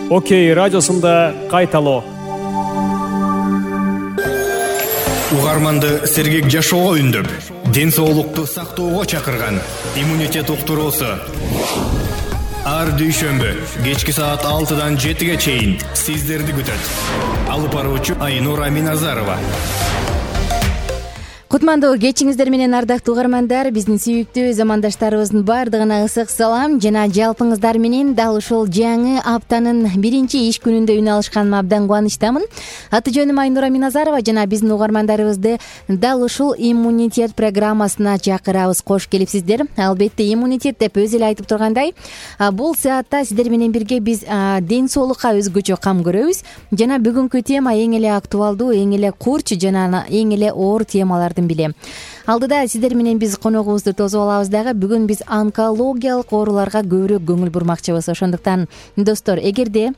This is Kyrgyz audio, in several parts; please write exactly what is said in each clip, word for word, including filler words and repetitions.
Окей радиосунда кайталоо. Угарманды сергек жашоого үндөп, ден соолукту сактоого чакырган иммунитет уктуруусу. Ар дүйшөмбү кечки саат алтыдан жетиге чейин сиздерди күтөт. Алып баруучу Айнура Аминазарова. Кутмандуу кечиңиздер менен ардактуу угармандар, биздин сүйүктүү замандаштарыбыздын баардыгына ысык салам жана жалпыңыздар менен дал ушул жаңы аптанын биринчи иш күнүндө үн алышканыма абдан кубанычтамын. Аты жөнүм Айнура Аминазарова жана биздин угармандарыбызды дал ушул иммунитет программасына чакырабыз. Кош келипсиздер. Албетте иммунитет деп өзү эле айтып тургандай, бул саатта сиздер менен бирге биз ден соолукка өзгөчө кам көрөбүз жана бүгүнкү тема эң эле актуалдуу, эң эле курч жана эң эле оор темалар. Алдыда сиздер менен биз коногубузду тосуп алабыз дагы. Бүгүн биз онкологиялык ооруларга көбүрөөк көңүл бурмакчыбыз. Ошондуктан достор, эгерде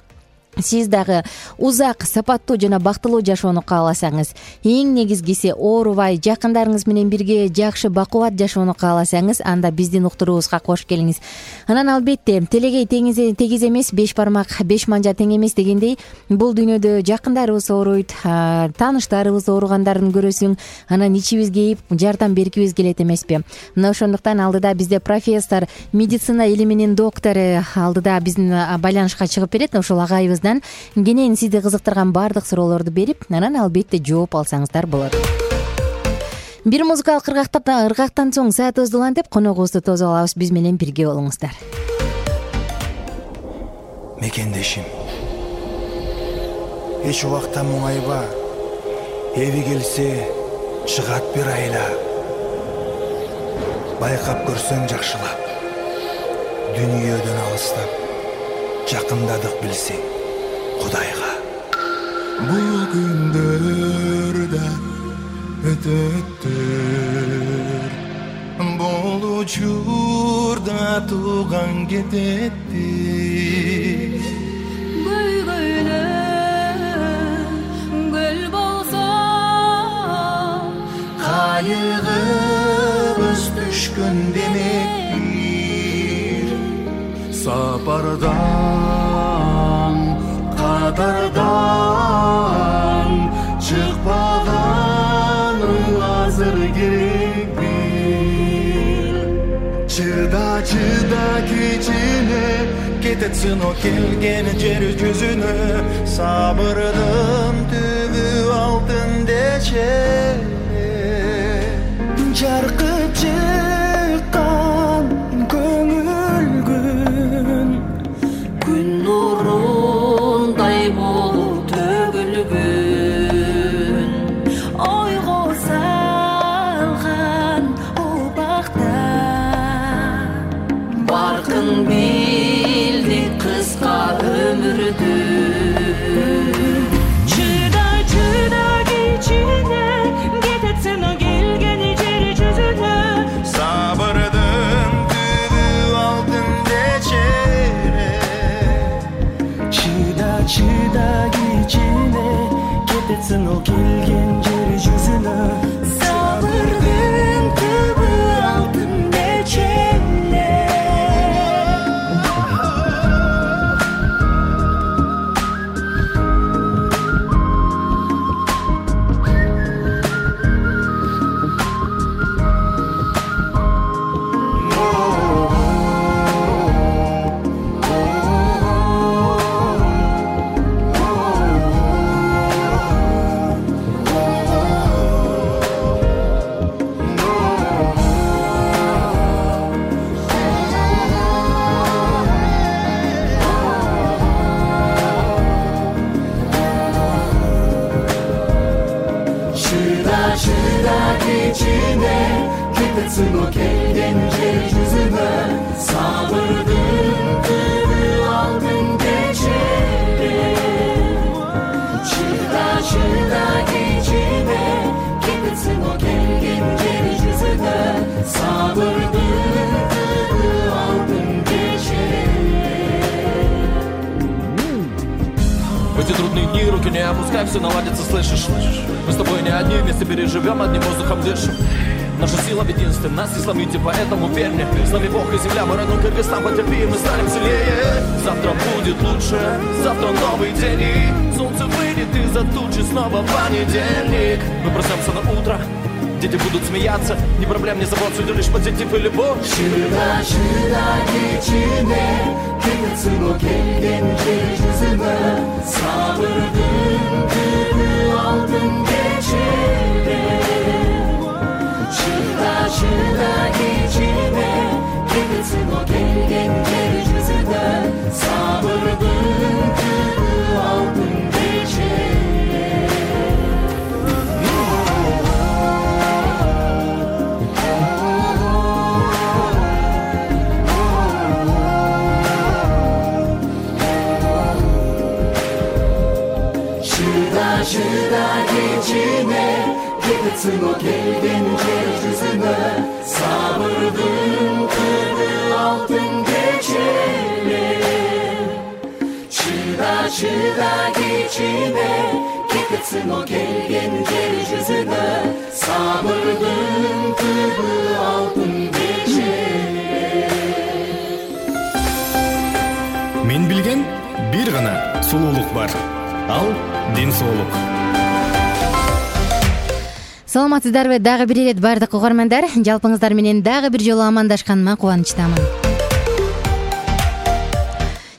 сиз дагы узак, сапаттуу жана бактылуу жашоону кааласаңыз, эң негизгиси оорубай, жакындарыңыз менен бирге жакшы бакубат жашоону кааласаңыз, анда биздин уктуруубузга кош келиңиз. Анан албетте телегей тегиз эмес, беш бармак беш манжа тең эмес дегендей, бул дүйнөдө жакындарыбыз ооруйт, тааныштарыбыз ооругандарын көрөсүң, анан ичибиз кейип, жардам бергибиз келет эмеспи? Мына ошондуктан алдыда бизде профессор, медицина илиминин доктору алдыда биздин байланышка чыгып берет. Ошол агайыбыздан кенен сизди кызыктырган баардык суроолорду берип, анан албетте жооп алсаңыздар болот. Бир музыкалык ыргактан соң саатыбызды улантып, коногубузду тосуп алабыз. Биз менен бирге болуңуздар. Мекендешим, эч убакта муңайба, эви келсе чыгат бир айла. Байкап көрсөң жакшылап, дүнүйөдөн алыстап, жакындадык билсең Кудайга. Бул күндөрдө өтөттөр, бул учурда тууган кететти. Көйгөйлө көл болсо, кайыгыбыз түшкөн демек, сапардан катардан чыкпаганың азыр керек бир. Чыда чыда кичине кететсин о келген жер жүзүнө, сабырдын түбү алтын дече. Жаркып чыккан көңүл күн, күн нурундай болуп төгүлгүн, ойго салган убакта баркын билдик кыска өмүрдү. Чыда чыда кичине кететсин о келген жер жүзүнө, сабырдын түбү алтын дечере. Чыда чыда кичине кететсин о келген жер жүзүнө, сабырдын түбү алтын дечере. Кететсин о келген жер жүзүнө, сабырдын түбү алтын дечере. Чыда чыда кичине кететсин о келген жер жүзүнө, сабырдын түбү алтын дечере. В эти трудные дни руки не опускай, все наладится, слышишь? Мы с тобой не одни, вместе переживем, одним воздухом дышим. Наша сила в единстве, нас не сломите, поэтому верь мне. С нами Бог и земля, мы родной Кыргызстан, потерпи, мы станем сильнее. Завтра будет лучше, завтра новый день, и солнце выйдет из-за тучи, снова понедельник. Мы проснемся на утро, дети будут смеяться, ни проблем, ни забот, судя лишь позитив и любовь. Шыда, шыда, кечине, кыгытсыно келген жер жүзүнө, сабырдын түбү алтын кечине. Шыда, шыда, кечине, кыгытсыно келген жер жүзүнө, сабырдын түбү алтын кечине. Шыда кечине, кыгытсыно келген жер жүзүнө, сабырдын түбү алтын кечине. Шыда, шыда кечине, кыгытсыно келген жер жүзүнө, сабырдын түбү алтын кечине. Мен билген бир гана сулуулук бар. Ал ден соолук. Саламатсыздарбы? Дагы бир ирет бардык угармандар, жалпыңыздар менен дагы бир жолу амандашканыма кубанычтамын.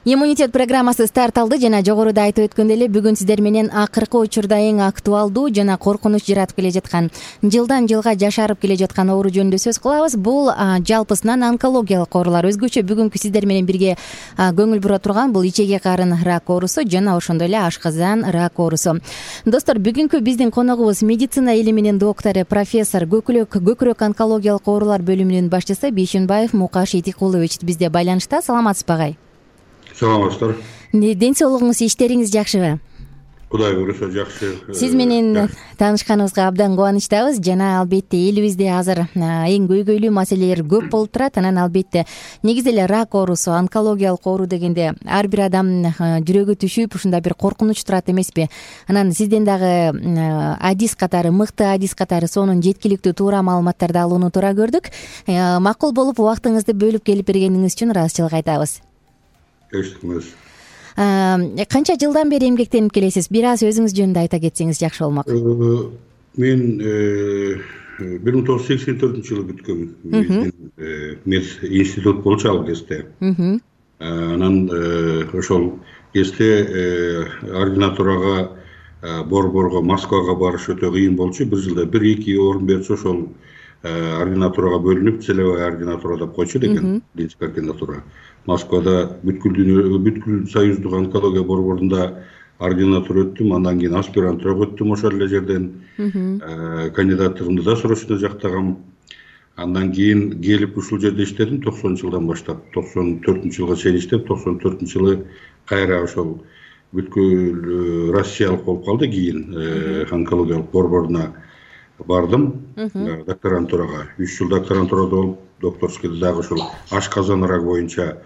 Иммунитет программасы старт алды жана жогоруда айтып өткөндөй эле бүгүн сиздер менен акыркы учурда эң актуалдуу жана коркунуч жаратып келе жаткан, жылдан жылга жашарып келе жаткан оору жөнүндө сөз кылабыз. Бул жалпысынан онкологиялык оорулар. Өзгөчө бүгүнкү сиздер менен бирге көңүл бура турган бул ичеги карын рак оорусу жана ошондой эле ашказан рак оорусу. Достор, бүгүнкү биздин коногубуз медицина илиминин доктору, профессор, көкүрөк көкүрөк онкологиялык оорулар бөлүмүнүн башчысы Бейшенбаев Мукаш Этикулович бизде байланышта. Саламатсызбы агай? Саламатсыздар. Ден соолугуңуз, иштериңиз жакшыбы? Кудай буюрса жакшы. Сиз менен таанышканыбызга абдан кубанычтабыз жана албетте элибизде азыр эң көйгөйлүү маселелер көп болуп турат. Анан албетте негизи эле рак оорусу, онкологиялык оору дегенде ар бир адам жүрөгү түшүп, ушундай бир коркунуч турат эмеспи? Анан сизден дагы адис катары, мыкты адис катары сонун жеткиликтүү туура маалыматтарды алууну туура көрдүк. Макул болуп убактыңызды бөлүп келип бергениңиз үчүн ыраазычылык айтабыз. Эштикмиз. Канча жылдан бери эмгектенип келесиз? Бир аз өзүңүз жөнүндө айта кетсеңиз жакшы болмок. Мен бир миң тогуз жүз сексен төртүнчү жылы бүткөмүн. Мед институт болчу ал кезде. Анан ошол кезде ординатурага борборго, Москвага барыш өтө кыйын болчу. Бир жылда бир эки орун берчү, ошол ординатурага бөлүнүп, целевая ординатура деп койчу экен, клиническая ординатура. Москвада бүткүл бүткүл союздук онкология борборунда ординатура өттүм, андан кийин аспирантурага өттүм ошол эле жерден. Кандидаттыгымды да срочно жактагам. Андан кийин келип ушул жерде иштедим токсонунчу жылдан баштап. токсон төртүнчү жылга чейин иштеп, токсон төртүнчү жылы кайра ошол бүткүл Россиялык болуп калды, кийин онкологиялык борборуна бардым, докторантурага. үч жыл докторантурада болуп, докторскийде дагы ошол ашказан рак боюнча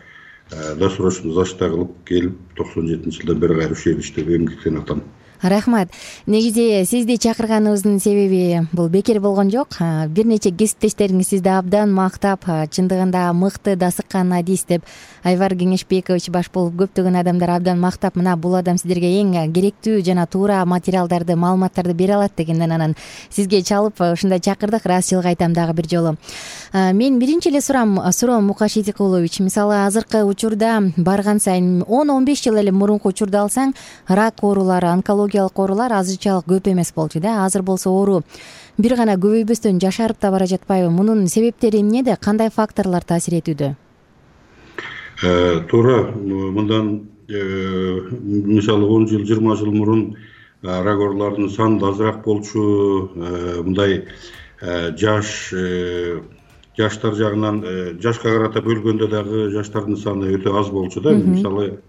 досрочно зачет кылып келип, токсон жетинчи жылдан бери кайра ушул жерде иштеп эмгектенип атам. Рахмат. Негизи сизди чакырганыбыздын себеби бул бекер болгон жок. Бир нече кесиптештериңиз сизди абдан мактап, чындыгында мыкты дасыккан адис деп Айвар Кеңешбекович баш болуп көптөгөн адамдар абдан мактап, мына бул адам сиздерге эң керектүү жана туура материалдарды, маалыматтарды бере алат дегенден анан сизге чалып ушундай чакырдык. Ыраазычылык айтам дагы бир жолу. Мен биринчи эле сурам, суроом Мукаш Этикулович, мисалы азыркы учурда барган сайын он он беш жыл эле мурунку учурду алсаң, рак оорулары, онкологиялык оорулар азырчалык көп эмес болчу да. Азыр болсо оору бир гана көбөйбөстөн жашарып да бара жатпайбы? Мунун себептери эмнеде? Кандай факторлор таасир этүүдө? Туура, мындан мисалы он жыл, жыйырма жыл мурун рак ооруларынын саны азыраак болчу. Мындай жаш жаштар жагынан жашка карата бөлгөндө дагы жаштардын саны өтө аз болчу да. Мисалы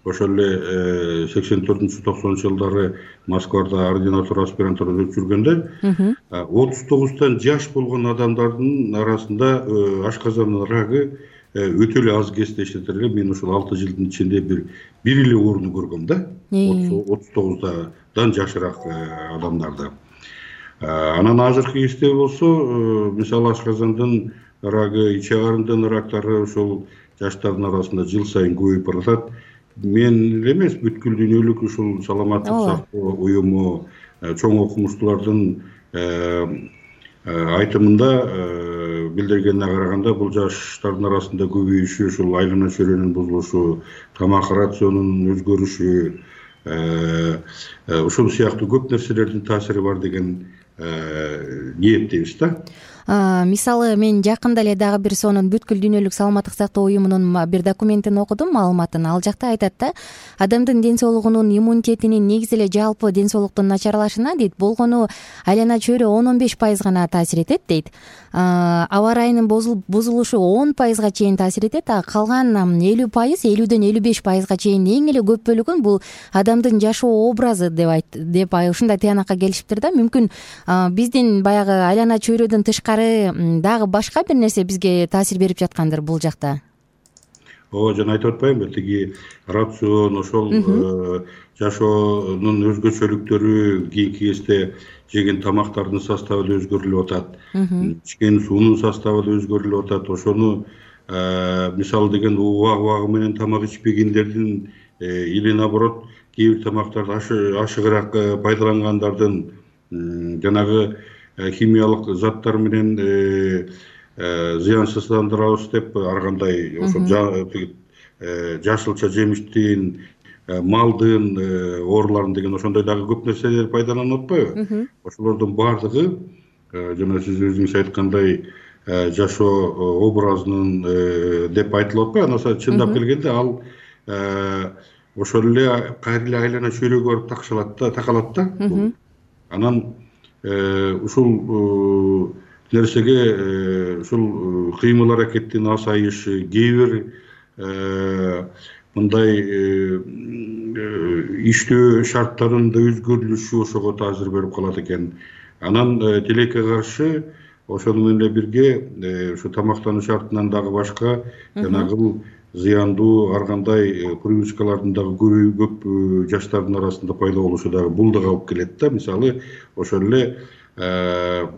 ошол эле сексен төртүнчү токсонунчу жылдары Москвада ординатура, аспирантура өтүп жүргөндө отуз тогуздан жаш болгон адамдардын арасында ашказан рагы өтө эле аз кездешет эле. Мен ошол алты жылдын ичинде бир бир эле орунду көргөм да. отуз тогуздан жашыраак адамдарда. Анан азыркы кезде болсо мисалы ашказандын ырагы, ичи карындын ырактары ошол жаштардын арасында жыл сайын көбөйүп баратат. Мен эле эмес, бүткүл дүйнөлүк ушул саламаттык сактоо уюму чоң окумуштуулардын айтымында билдиргенине караганда бул жаштардын арасында көбөйүшү, ушул айлана чөйрөнүн бузулушу, тамак рационунун өзгөрүшү, ушул сыяктуу көп нерселердин таасири бар деген ниеттейбиз да. Мисалы мен жакында эле дагы бир сонун бүткүл дүйнөлүк саламаттык сактоо уюмунун бир документин окудум, маалыматын. Ал жакта айтат да, адамдын ден соолугунун, иммунитетинин, негизи эле жалпы ден соолуктун начарлашына дейт, болгону айлана чөйрө он он беш пайыз гана таасир этет дейт. Аба ырайынын бузулушу он пайызга чейин таасир этет, а калган элүү пайыз, элүүдөн элүү беш пайызга чейин эң эле көп бөлүгүн бул адамдын жашоо образы деп айт деп ушундай тыянакка келишиптир да. Мүмкүн биздин баягы айлана чөйрөдөн тышкары дагы башка бир нерсе бизге таасир берип жаткандыр бул жакта. Ооба, жана айтып атпаймынбы, тиги рацион, ошол жашоонун өзгөчөлүктөрү, кийинки кезде жеген тамактардын составы да өзгөрүлүп атат, ичкен суунун составы да өзгөрүлүп атат. Ошону мисалы деген убак убагы менен тамак ичпегендердин или наоборот кээ бир тамактарды ашыгыраак пайдалангандардын жанагы химиялык заттар менен зыянсыздандырабыз деп ар кандай ошо жашылча жемиштин, малдын ооруларын деген ошондой дагы көп нерселер пайдаланып атпайбы? Ошолордун баардыгы жана сиз өзүңүз айткандай жашоо образынын деп айтылып атпайбы? Анаса чындап келгенде ал ошол эле кайра эле айлана чөйрөгө барып такшалат да, такалат да. Анан ушул нерсеге ушул кыймыл аракеттин азайышы, кээ бир мындай иштөө шарттарында өзгөрүлүшү ошого таасир берип калат экен. Анан тилекке каршы ошону менен эле бирге ушу тамактануу шартынан дагы башка жанагы зыяндуу ар кандай привычкалардын дагы көп жаштардын арасында пайда болушу дагы бул дагы алып келет да. Мисалы ошол эле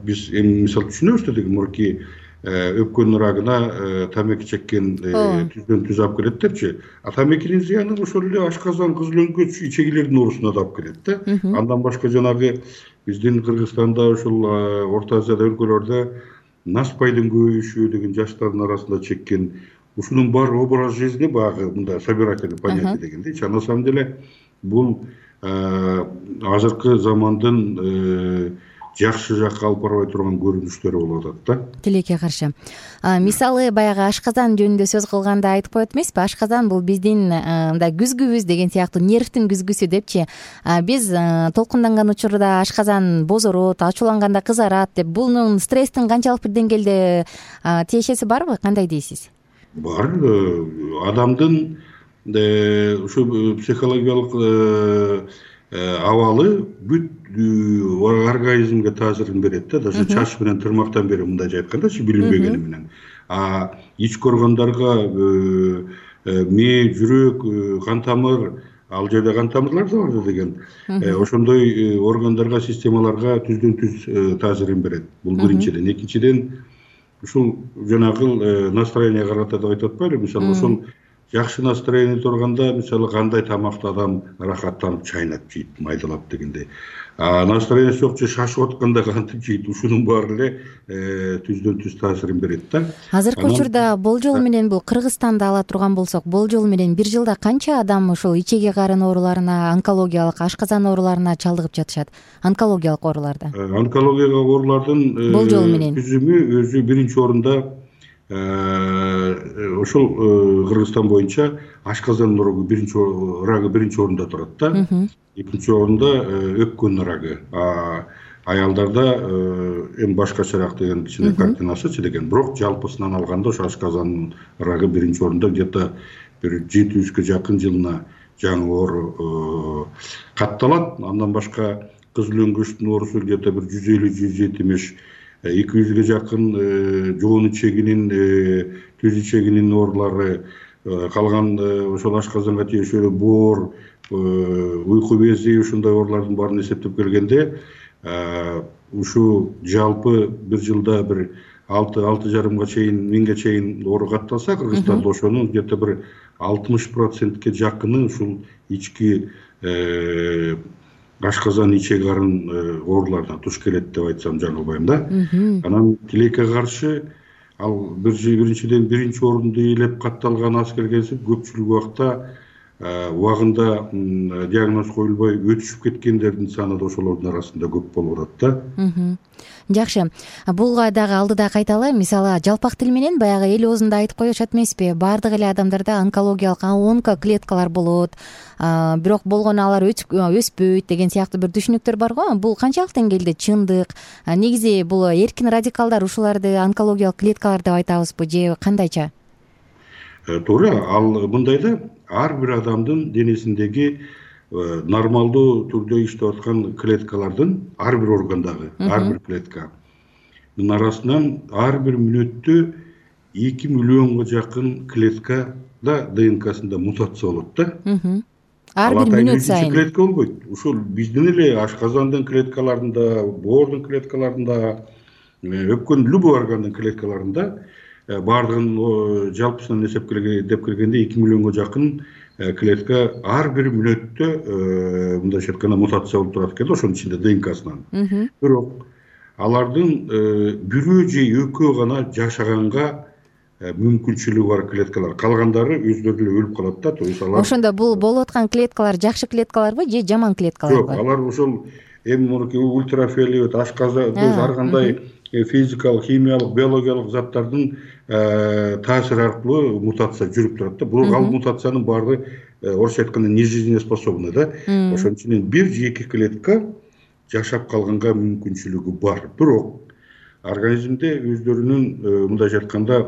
биз эми мисал түшүнөбүз да, деген мурки өпкөн ырагына тамеки чеккен түздөн түз алып келет депчи. А тамекинин зыяны ошол эле ашказан, кызылөңгөч, ичегилердин оорусуна да алып келет да. Андан башка жанагы биздин Кыргызстанда, ушул Орто Азияда өлкөлөрдө наспайдын көбөйүшү деген жаштардын арасында чеккен, ушунун баары образ жизни багы мындай собирательный понятие дегендейчи. На самом деле бул азыркы замандын жакшы жакка алып барбай турган көрүнүштөрү болуп атат да. Тилекке каршы. Мисалы баягы ашказан жөнүндө сөз кылганда айтып коет эмеспи? Ашказан бул биздин мындай күзгүбүз деген сыяктуу, нервтин күзгүсү депчи. Биз толкунданган учурда ашказан бозорот, ачууланганда кызарат деп, бунун стресстин канчалык бир деңгээлде тиешеси барбы? Кандай дейсиз? Бар. Адамдын ушу психологиялык абалы бүт организмге таасирин берет да. Даже чач менен тырмактан бери мындай айткандачы, билинбегени менен. А ички органдарга мээ, жүрөк, кан тамыр, ал жерде кан тамырлар да бар деген. Ошондой органдарга, системаларга түздөн түз таасирин берет. Бул биринчиден. Экинчиден, ушул жанагы настроение карата деп айтып атпайлы? Мисалы ошол жакшы настроение турганда, мисалы кандай тамакты адам рахаттанып чайнап жейт, майдалап дегендей. А настроениясы жок же шашып атканда кантип жейт, ушунун баары эле түздөн түз таасирин берет да. Азыркы учурда болжол менен бул Кыргызстанда ала турган болсок, болжол менен бир жылда канча адам ушул ичеги карын ооруларына, онкологиялык, ашказан ооруларына чалдыгып жатышат? Онкологиялык ооруларда. Онкологиялык оорулардын болжол менен түзүмү өзү биринчи орунда ошол Кыргызстан боюнча ашказан ырагы биринчи ырагы биринчи орунда турат да. Экинчи орунда өпкөн ырагы. Аялдарда эми башкачараак деген кичине картинасычы деген. Бирок жалпысынан алганда ошо ашказан ырагы биринчи орунда, где-то бир жети жүзгө жакын жылына жаңы оору катталат. Андан башка кызылөңгөчтүн оорусу где-то бир жүз элүү жүз жетимиш, эки жүзгө жакын жоон ичегинин, түз ичегинин оорулары, калган ошол ашказанга тиешелүү боор, уйку бези, ушундай оорулардын баарын эсептеп келгенде ушу жалпы бир жылда бир алты алты жарымга чейин миңге чейин оору катталса Кыргызстанда ошонун где то бир алтымыш процентке жакыны ушул ички ашказан ичек арын ооруларына туш келет деп айтсам жаңылбайм да. Анан тилекке каршы ал биринчиден биринчи орунду ээлеп катталган аскергенсип көпчүлүк убакта убагында диагноз коюлбой өтүшүп кеткендердин саны да ошолордун арасында көп болуп атат да. Жакшы. Буга дагы алдыда кайталы, мисалы жалпак тил менен баягы эл оозунда айтып коюшат эмеспи? Баардык эле адамдарда онкологиялык онкоклеткалар болот, бирок болгону алар өспөйт деген сыяктуу бир түшүнүктөр бар го. Бул канчалык деңгээлде чындык? Негизи бул эркин радикалдар ушуларды онкологиялык клеткалар деп айтабызбы же кандайча? Туура, ал мындай да, ар бир адамдын денесиндеги нормалдуу түрдө иштеп аткан клеткалардын ар бир органдагы ар бир клетканын арасынан ар бир мүнөттө эки миллионго жакын клеткада ДНКсында мутация болот да. Ар бир мүнөт сайын клетка болбойт. Ушул биздин эле ашказандын клеткаларында, боордун клеткаларында, өпкөн любой органдын клеткаларында баардыгын жалпысынан эсептеп деп келгенде эки миллионго жакын клетка ар бир мүнөттө мындайча айтканда мутация болуп турат экен, ошонун ичинде ДНКсынан. Бирок алардын бирөө же экөө гана жашаганга мүмкүнчүлүгү бар клеткалар, калгандары өздөрү эле өлүп калат да. То есть алар ошондо бул болуп аткан клеткалар жакшы клеткаларбы же жаман клеткаларбы? Жок, алар ошол эми мынакей ультрафиолет, ашказан, ар кандай физикалык, химиялык, биологиялык заттардын таасири аркылуу мутация жүрүп турат да. Бул ал мутациянын баардыгы орусча айтканда нежизнеспособный да. Ошонун үчүн бир же эки клетка жашап калганга мүмкүнчүлүгү бар. Бирок организмде өздөрүнүн мындайча айтканда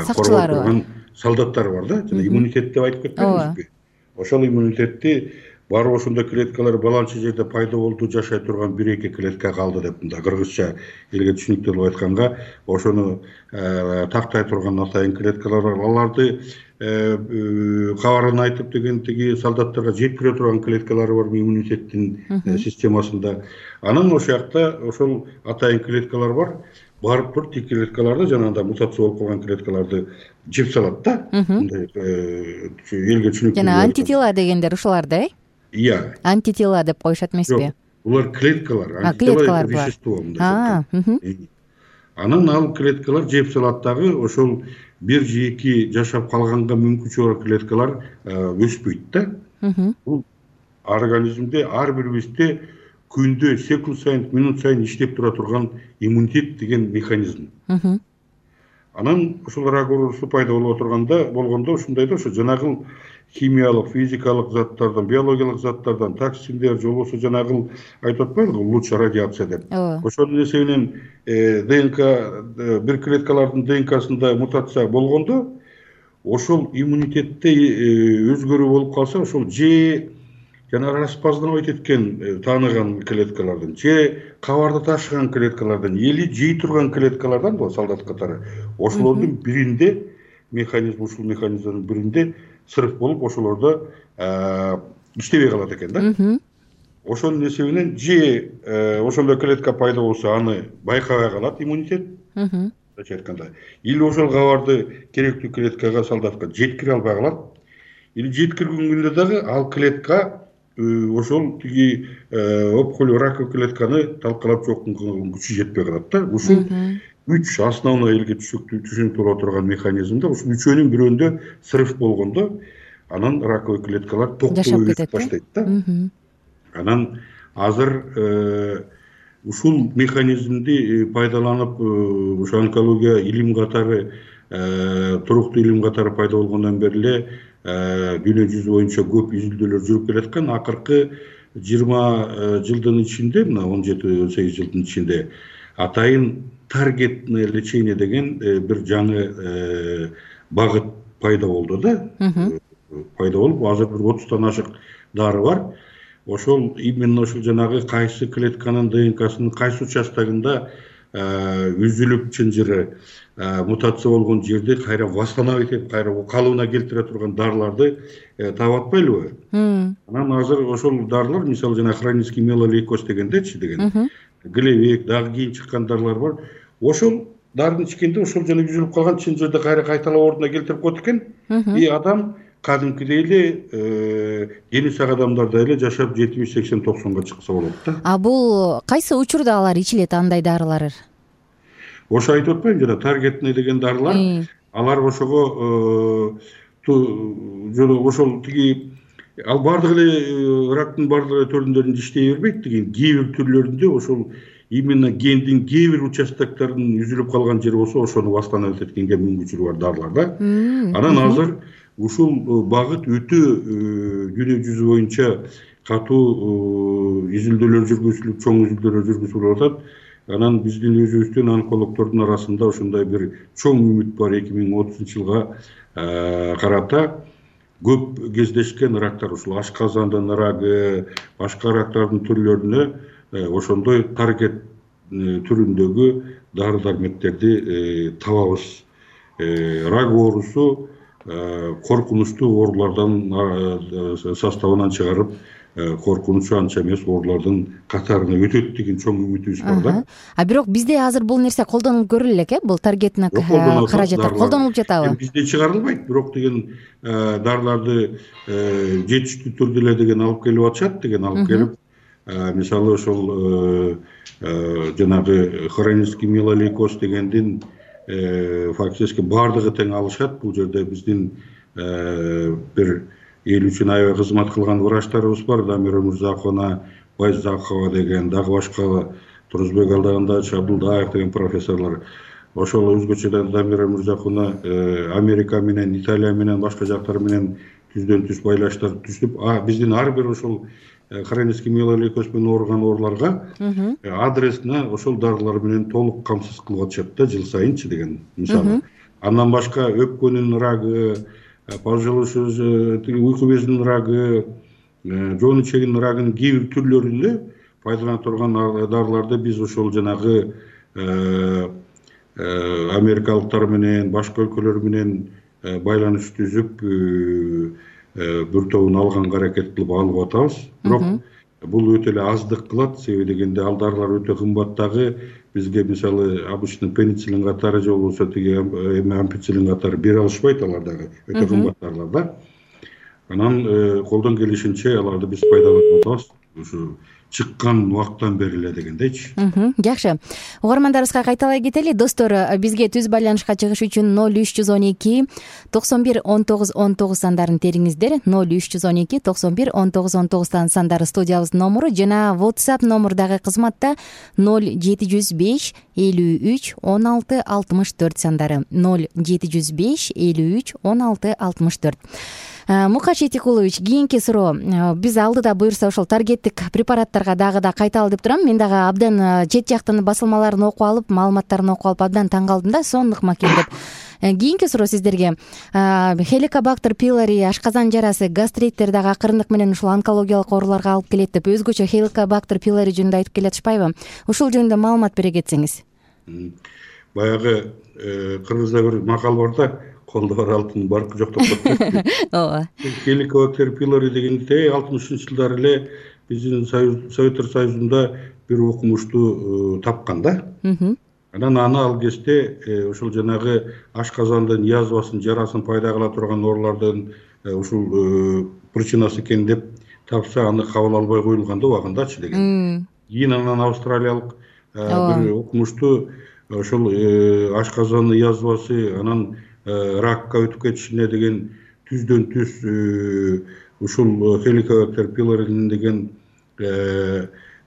сакчылары бар, солдаттары бар да. Жана иммунитет деп айтып кетпедимизби? Ошол иммунитетти барып ошондой клеткалар баланча жерде пайда болду, жашай турган бир эки клетка калды деп мындай кыргызча элге түшүнүктүү кылып айтканга, ошону тактай турган атайын клеткалар бар. Аларды кабарын айтып деген тиги солдаттарга жеткире турган клеткалары бар иммунитеттин системасында. Анан ошол жакта ошол атайын клеткалар бар. Барып туруп тик клеткаларды жанагындай мутация болуп калган клеткаларды жеп салат да. Мындай элге түшүнүктүү. Жана антитела дегендер ушуларда, э? Иә. Антитела деп коюшат эмеспи? Булар клеткалар, антитела вещество мындай. Анан ал клеткалар жеп салат дагы ошол бир же эки жашап калганга мүмкүнчүлүгү бар клеткалар өспөйт да. Бул организмде ар бирибизде күндө секунд сайын, минут сайын иштеп тура турган иммунитет деген механизм. Анан ошол рак оорусу пайда болуп турганда болгондо ушундай да, ошо жанагыл химиялык, физикалык заттардан, биологиялык заттардан, токсиндер, же болбосо жанагыл айтып атпайбызбы, луч радиация деп. Ошонун эсебинен ДНК бир клеткалардын ДНКсында мутация болгондо, ошол иммунитетте өзгөрүү болуп калса, ошол же жана распознавать эткен, тааныган клеткалардан, же кабарды ташыган клеткалардан, или жей турган клеткалардан, бул солдат катары, ошолордун биринде механизм, ушул механизмдин биринде сырык болуп, ошолордо иштебей калат экен да. Ошонун эсебинен же ошондой клетка пайда болсо, аны байкабай калат иммунитет, мындайча айтканда, или ошол кабарды керектүү клеткага, солдатка жеткире албай калат, или жеткиргөнгүндө дагы ал клетка ошол тиги опухоль раковый клетканы талкалап жоккунга күчү жетпей калат да. Ушул үч основной элге түшүнүктүү боло турган механизмда, ушул үчөөнүн бирөөндө срыв болгондо, анан раковый клеткалар токтоп өсүп баштайт да. Анан азыр ушул механизмди пайдаланып, ушул онкология илим катары, туруктуу илим катары пайда болгондон бери эле дүйнө жүзү боюнча көп изилдөөлөр жүрүп келаткан. Акыркы жыйырма жылдын ичинде, мына он жети он сегиз жылдын ичинде атайын таргетное лечение деген бир жаңы багыт пайда болду да. Пайда болуп, азыр бир отуздан ашык дары бар. Ошол именно ошол жанагы кайсы клетканын ДНКсынын кайсы участогунда үзүлүп чынжыры мутация болгон жерди кайра восстановить этип, кайра калыбына келтире турган дарыларды таап атпайлыбы? Анан азыр ошол дарылар, мисалы жана хронический миелолейкоз дегендечи деген, глевек, дагы кийин чыккан дарылар бар. Ошол дарыны ичкенде ошол жана түзүлүп калган чын жерде кайра кайталап ордуна келтирип коет экен. И адам кадимкидей эле дени сак адамдардай эле жашап жетимиш сексен токсонго чыкса болот да. А бул кайсы учурда алар ичилет андай дарылар? Ошо айтып атпаймынбы жана таргетный деген дарылар. Алар ошого ошол тиги ал бардык эле рактын бардык түрүндөрүндө иштей бербейт деген. Кээ бир түрлөрүндө ошол именно гендин кээ бир участоктарынын үзүлүп калган жери болсо ошону восстановить эткенге мүмкүнчүлүгү бар дарылар да. Анан азыр ушул багыт өтө дүйнө жүзү боюнча катуу изилдөөлөр жүргүзүлүп, чоң изилдөөлөр жүргүзүлүп атат. Анан биздин өзүбүздүн онкологдордун арасында ошондой бир чоң үмүт бар. эки миң отузунчу жылга карата көп кездешкен рактар, ушул ашказандын рагы, башка рактардын түрлөрүнө ошондой таргет түрүндөгү дары дармектерди табабыз. Рак оорусу коркунучтуу оорулардан составынан чыгарып, коркунучу анча эмес оорулардын катарына өтөт деген чоң үмүтүбүз бар да. А бирок бизде азыр бул нерсе колдонуп көрүлө элек, э? Бул таргетный каражаттар колдонулуп жатабы? Бизде чыгарылбайт, бирок деген дарыларды жетиштүү түрдө эле деген алып келип атышат деген алып келип, мисалы ошол жанагы хронический миелолейкоз дегендин фактически бардыгы тең алышат. Бул жерде биздин бир эл үчүн аябай кызмат кылган врачтарыбыз бар. Дамира Мырзакова, Байзакова деген, дагы башка Турузбек Алдагандович, Абдулдаев деген профессорлор. Ошол өзгөчө Дамира Мырзакова Америка менен, Италия менен, башка жактар менен түздөн түз байланыштар түзүп, биздин ар бир ошол хронический миелолейкоз менен ооруган ооруларга адресине ошол дарылар менен толук камсыз кылып атышат да жыл сайынчы деген мисалы. Андан башка өпкөнүн рагы, уйку безинин рагы, жоон ичегинин рагынын кээ бир түрлөрүндө пайдалана турган дарыларды биз ошол жанагы америкалыктар менен, башка өлкөлөр менен байланыш түзүп бир тобун алганга аракет кылып алып атабыз. Бирок бул өтө эле аздык кылат, себеби дегенде ал дарылар өтө кымбат дагы. Бизге мисалы обычный пенициллин катары же болбосо тиги ампициллин катары бере алышпайт, алар дагы өтө кымбат дарылар да. Анан колдон келишинче аларды биз пайдаланып атабыз. Ушу чыккан убакыттан бери эле дегендейчи. Жакшы. Угармандарыбызга кайталай кетели. Достор, бизге түз байланышка чыгыш үчүн ноль үч жүз он эки токсон бир он тогуз он тогуз сандарын териңиздер. ноль үч жүз он эки токсон бир он тогуз он тогуз сандары студиябыздын номуру жана WhatsApp номуру дагы кызматта ноль жети жүз беш элүү үч он алты алтымыш төрт сандары. ноль жети жүз беш элүү үч он алты алтымыш төрт. Мукаш Этикулович, кийинки суроо. Биз алдыда буюрса ошол таргеттик препараттарга дагы да кайталып деп турам. Мен дагы абдан чет жактын басылмаларын окуп алып, маалыматтарын окуп алып абдан таң калдым да, сонлук макен деп. Кийинки суроо сиздерге. Helicobacter pylori ашказан жарасы, гастриттер дагы акырындык менен ушул онкологиялык ооруларга алып келет деп өзгөчө Helicobacter pylori жөнүндө айтып келатышпайбы? Ушул жөнүндө маалымат бере кетсеңиз. Баягы кыргызда бир макал бар да, колдо бар алтын баркы жок деп коет. Ооба. Helicobacter pylori дегенде алтымышынчы жылдары эле биздин Советтер Союзунда бир окумушту тапкан да. Анан аны ал кезде ошол жанагы ашказандын язвасын, жарасын пайда кыла турган оорулардын ушул причинасы экен деп тапса, аны кабыл албай коюлган да убагындачы деген. Кийин анан австралиялык бир окумушту ошол ашказандын язвасы, анан ракка өтүп кетишине деген түздөн түз ушул Helicobacter pylori деген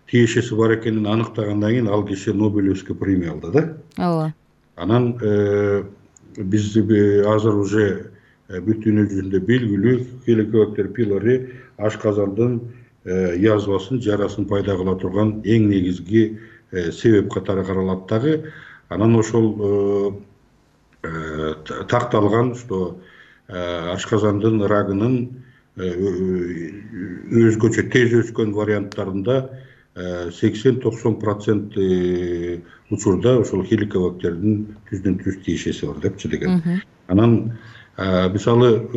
тиешеси бар экенин аныктагандан кийин ал киши Нобелевский премия алды да. Ооба. Анан биз азыр уже бүт дүйнө жүзүндө белгилүү Helicobacter pylori ашказандын язвасын, жарасын пайда кыла турган эң негизги себеп катары каралат дагы. Анан ошол такталган, что ашказандын рагынын өзгөчө тез өскөн варианттарында сексен токсон процент учурда ошол Helicobacterдин түздөн түз тиешеси бар депчи деген. Анан Мисалы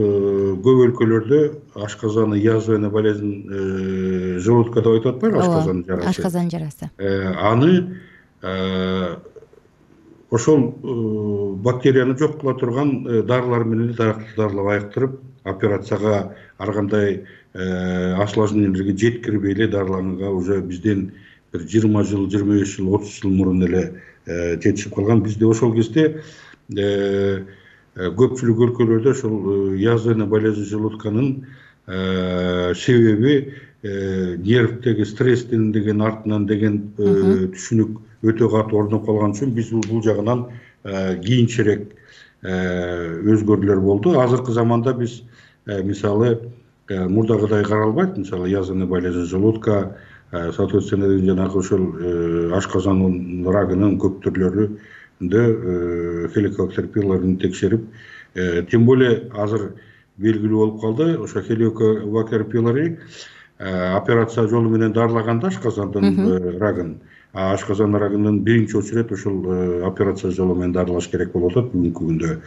көп өлкөлөрдө ашказаны язвенный болезнь желудка деп айтып атпайбы, ашказан жарасы. Ашказан жарасы. Аны ошол бактерияны жок кыла турган дарылар менен дарылап айыктырып, операцияга ар кандай осложнениялерге жеткирбей эле дарыланганга уже бизден бир жыйырма жыл, жыйырма беш жыл, отуз жыл мурун эле жетишип калган. Бизде ошол кезде көпчүлүк өлкөлөрдө ошол язвенный болезнь желудканын себеби нервдеги стресстен деген артынан деген түшүнүк өтө катуу орноп калган үчүн биз бул жагынан кийинчерээк өзгөрүүлөр болду. Азыркы заманда биз мисалы мурдагыдай каралбайт. Мисалы язвенный болезнь желудка, соответственно жанагы ошол ашказан рагынын көп түрлөрүндө хеликобактер пилорин текшерип, тем более азыр белгилүү болуп калды. Ошо хеликобактер пилори операция жолу менен дарылаганда ашказандын рагын, ашказан рагынын биринчи очередь ошол операция жолу менен дарылаш керек болуп атат бүгүнкү күндө.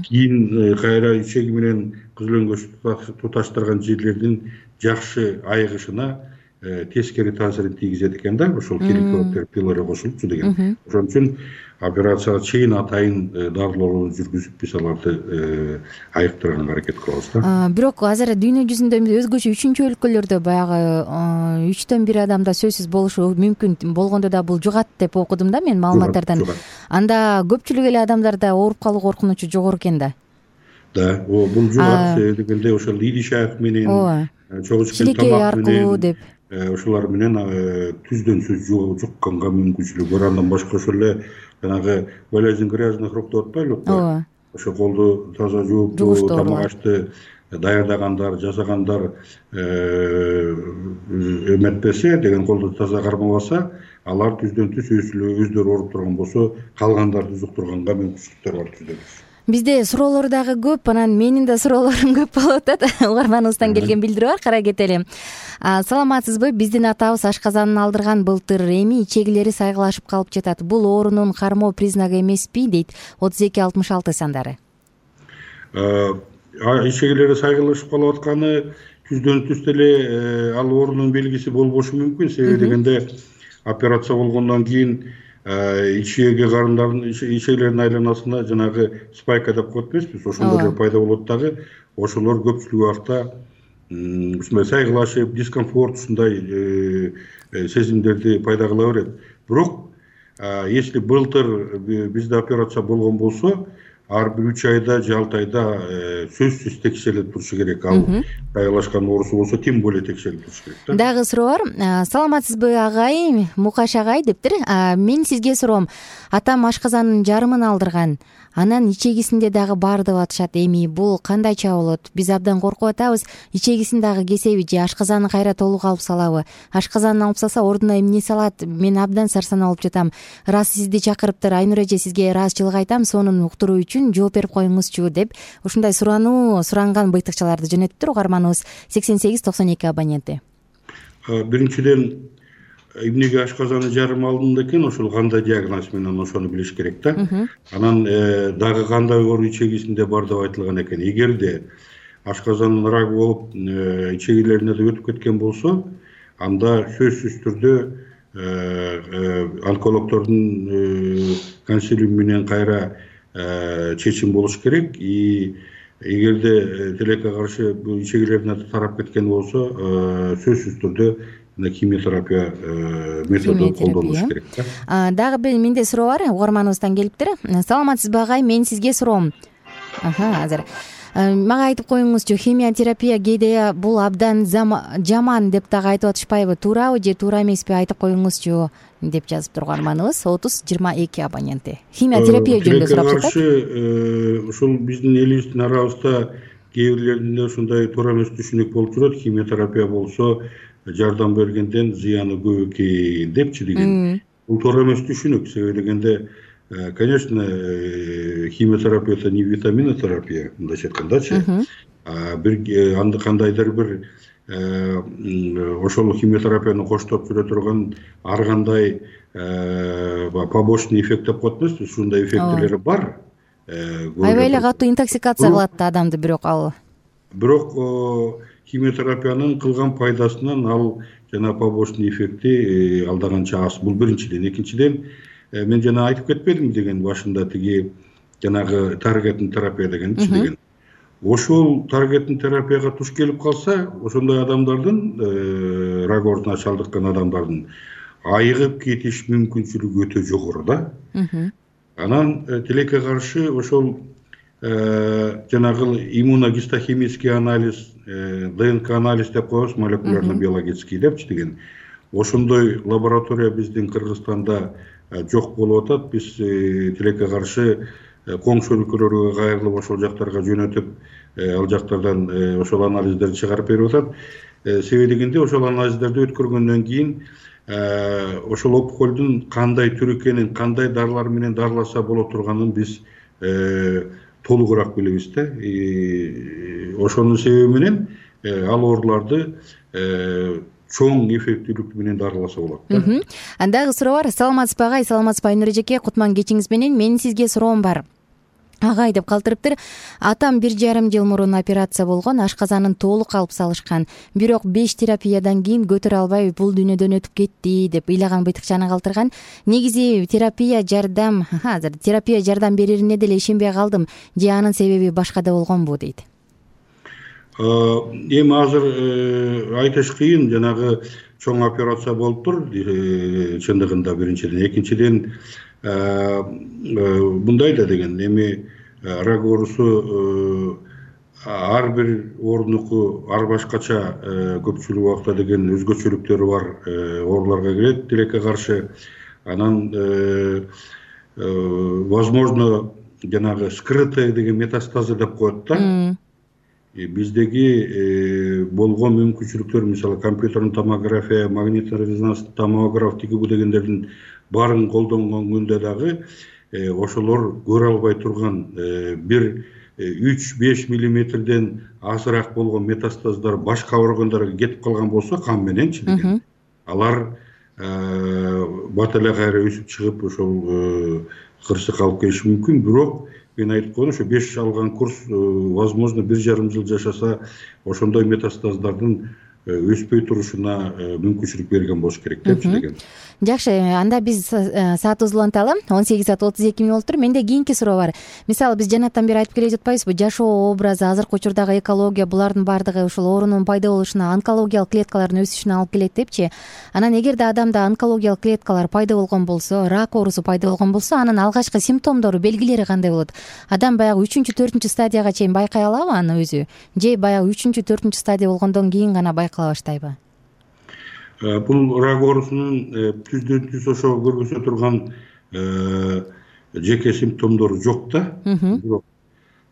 Кийин кайра ичеги менен күзлөнгөч туташтырган жерлердин жакшы айыгышына тескери таасирин тийгизет экен да, ошол хеликобактер пилори кошулупчу деген. Ошон үчүн операцияга чейин атайын дарылоо жүргүзүп биз аларды айыктырганга аракет кылабыз да. Бирок азыр дүйнө жүзүндө өзгөчө үчүнчү өлкөлөрдө баягы үчтөн бир адамда сөзсүз болушу мүмкүн болгондо да бул жугат деп окудум да мен маалыматтардан. Анда көпчүлүк эле адамдарда ооруп калуу коркунучу жогору экен да. Да, бул жугат дегенде ошол идиш аяк менен, чогуу ичкен тамак менен ошолар менен түздөн сөз жукканга мүмкүнчүлүк бар. Андан башка ошол эле жанагы болезнь грязных рук деп атпайлыбы? Ооба. Ошо колду таза жууп, тамак ашты даярдагандар, жасагандар эметпесе деген, колду таза кармабаса, алар түздөн түз өздөрү ооруп турган болсо, калгандарды жуктурганга мүмкүнчүлүктөр бар түздөн түз. Бизде суроолор дагы көп, анан менин да суроолорум көп болуп атат. Угарманыбыздан келген билдирүү бар, кара кетели. Саламатсызбы? Биздин атабыз ашказанын алдырган былтыр, эми ичегилери сайгылашып калып жатат. Бул оорунун кармоо признагы эмеспи, дейт отуз эки алтымыш алты сандары. Ичегилери сайгылашып калып атканы түздөн түз эле ал оорунун белгиси болбошу мүмкүн. Себеби дегенде операция болгондон кийин ичеги карындардын, ичегилердин айланасына жанагы спайка деп коет эмеспиз, ошолор пайда болот дагы. Ошолор көпчүлүк убакта ушундай сайгылашып, дискомфорт, ушундай сезимдерди пайда кыла берет. Бирок если былтыр бизде операция болгон болсо, ар бир үч айда же алты айда сөзсүз текшерилип турушу керек. Ал сайгылашкан оорусу болсо тем более текшерилип турушу керек да. Дагы суроо бар. Саламатсызбы агай, Мукаш агай дептир. Мен сизге суроом. Атам ашказанын жарымын алдырган. Анан ичегисинде дагы бар деп атышат. Эми бул кандайча болот? Биз абдан коркуп атабыз. Ичегисин дагы кесеби же ашказаны кайра толук алып салабы? Ашказанын алып салса ордуна эмне салат? Мен абдан сарсанаа болуп жатам. Раз сизди чакырыптыр, Айнур эже, сизге ыраазычылык айтам, сонун уктуруу үчүн жооп берип коюңузчу деп ушундай сурануу суранган быйтыкчаларды жөнөтүптүр угарманыбыз сексен сегиз токсон эки абоненти. Биринчиден эмнеге ашказаны жарым алдында экен, ошол кандай диагноз менен ошону билиш керек да. Анан дагы кандай оору ичегисинде бар деп айтылган экен. Эгерде ашказанын рагы болуп ичегилерине да өтүп кеткен болсо, анда сөзсүз түрдө онкологдордун консилиуму менен кайра чечим болуш керек. И эгерде тилекке каршы ичегилерине тарап кеткен болсо, сөзсүз түрдө химиотерапия методу колдонулуш керек да. Дагы бир менде суроо бар, угарманыбыздан келиптир. Саламатсызбы агай, мен сизге суроом. Аха, азыр мага айтып коюңузчу, химиотерапия кээде бул абдан жаман деп дагы айтып атышпайбы? Туурабы же туура эмеспи, айтып коюңузчу деп жазып турган угарманыбыз отуз жыйырма эки абоненти. Химиотерапия жөнүндө сурап жатат. Ошол биздин элибиздин арабызда кээ бирлеринде ушундай туура эмес түшүнүк болуп жүрөт. Химиотерапия болсо жардам бергенден зыяны көп экен депчи деген. Бул туура эмес түшүнүк. Себеби дегенде, конечно, химиотерапия это не витаминотерапия, мындайча айткандачы. Бир анда кандайдыр бир ошол химиотерапияны коштоп жүрө турган ар кандай побочный эффект деп коет эмеспиз, ушундай эффектилери бар. аябай эле катуу интоксикация кылат да адамды. Бирок ал бирок химиотерапиянын кылган пайдасынан ал жана побочный эффекти алда канча аз. Бул биринчиден. Экинчиден, мен жана айтып кетпедимби деген башында тиги жанагы таргетный терапия дегенчи деген. Ошол таргетный терапияга туш келип калса, ошондой адамдардын рак оорусуна чалдыккан адамдардын айыгып кетиш мүмкүнчүлүгү өтө жогору да. Анан тилекке каршы ошол жанагы иммуногистохимический анализ, ДНК анализ деп коебуз, молекулярно-биологический депчи деген. Ошондой лаборатория биздин Кыргызстанда жок болуп атат. Биз тилекке каршы коңшу өлкөлөргө кайрылып ошол жактарга жөнөтүп, ал жактардан ошол анализдерди чыгарып берип атат. Себеби дегенде ошол анализдерди өткөргөндөн кийин ошол опухолдун кандай түрү экенин, кандай дарылар менен дарыласа боло турганын биз толугураак билебиз да. Ошонун себеби менен ал ооруларды чоң эффектүүлүк менен дарыласа болот да. Андагы суроо бар. Саламатсызбы агай, саламатсызбы Айнур эжеке, кутман кечиңиз менен. Менин сизге суроом бар. Агай деп калтырыптыр. Атам бир жарым жыл мурун операция болгон, ашказанын толук алып салышкан. Бирок беш терапиядан кийин көтөрө албай бул дүйнөдөн өтүп кетти деп ыйлаган быйтыкчаны калтырган. Негизи терапия жардам, азыр терапия жардам берерине деле ишенбей калдым. Же анын себеби башкада болгонбу дейт. Эми азыр айтыш кыйын, жанагы чоң операция болуптур чындыгында биринчиден. Экинчиден, мындай да деген, эми рак оорусу ар бир оорунуку ар башкача көпчүлүк убакта деген өзгөчөлүктөрү бар ооруларга кирет тилекке каршы. Анан возможно жанагы скрытый деген метастазы деп коет да. Биздеги болгон мүмкүнчүлүктөр, мисалы компьютерный томография, магнитный резонанстык томограф тиги бу дегендердин баарын колдонгон күндө дагы ошолор көрө албай турган бир үч беш миллиметрден азыраак болгон метастаздар башка органдарга кетип калган болсо кан мененчи деген, алар бат эле кайра өсүп чыгып ошол кырсык алып келиши мүмкүн. Бирок мен айтып койдум, ошо беш алган курс возможно бир жарым жыл жашаса ошондой метастаздардын өспөй турушуна мүмкүнчүлүк берген болуш керек депчи деген. Жакшы, анда биз саатыбызды уланталы. он сегиз саат отуз эки мүнөт болуптур. Менде кийинки суроо бар. Мисалы биз жанаттан бери айтып келе жатпайбызбы, жашоо образы, азыркы учурдагы экология, булардын баардыгы ушул оорунун пайда болушуна, онкологиялык клеткалардын өсүшүнө алып келет депчи. Анан эгерде адамда онкологиялык клеткалар пайда болгон болсо, рак оорусу пайда болгон болсо, анын алгачкы симптомдору, белгилери кандай болот? Адам баягы үчүнчү, төртүнчү стадияга чейин байкай алабы аны өзү? Же баягы үчүнчү, төртүнчү стадия болгондон кийин гана байкала баштайбы? Бул рак оорусунун түздөн түз ошо көргөзө турган жеке симптомдору жок да. Бирок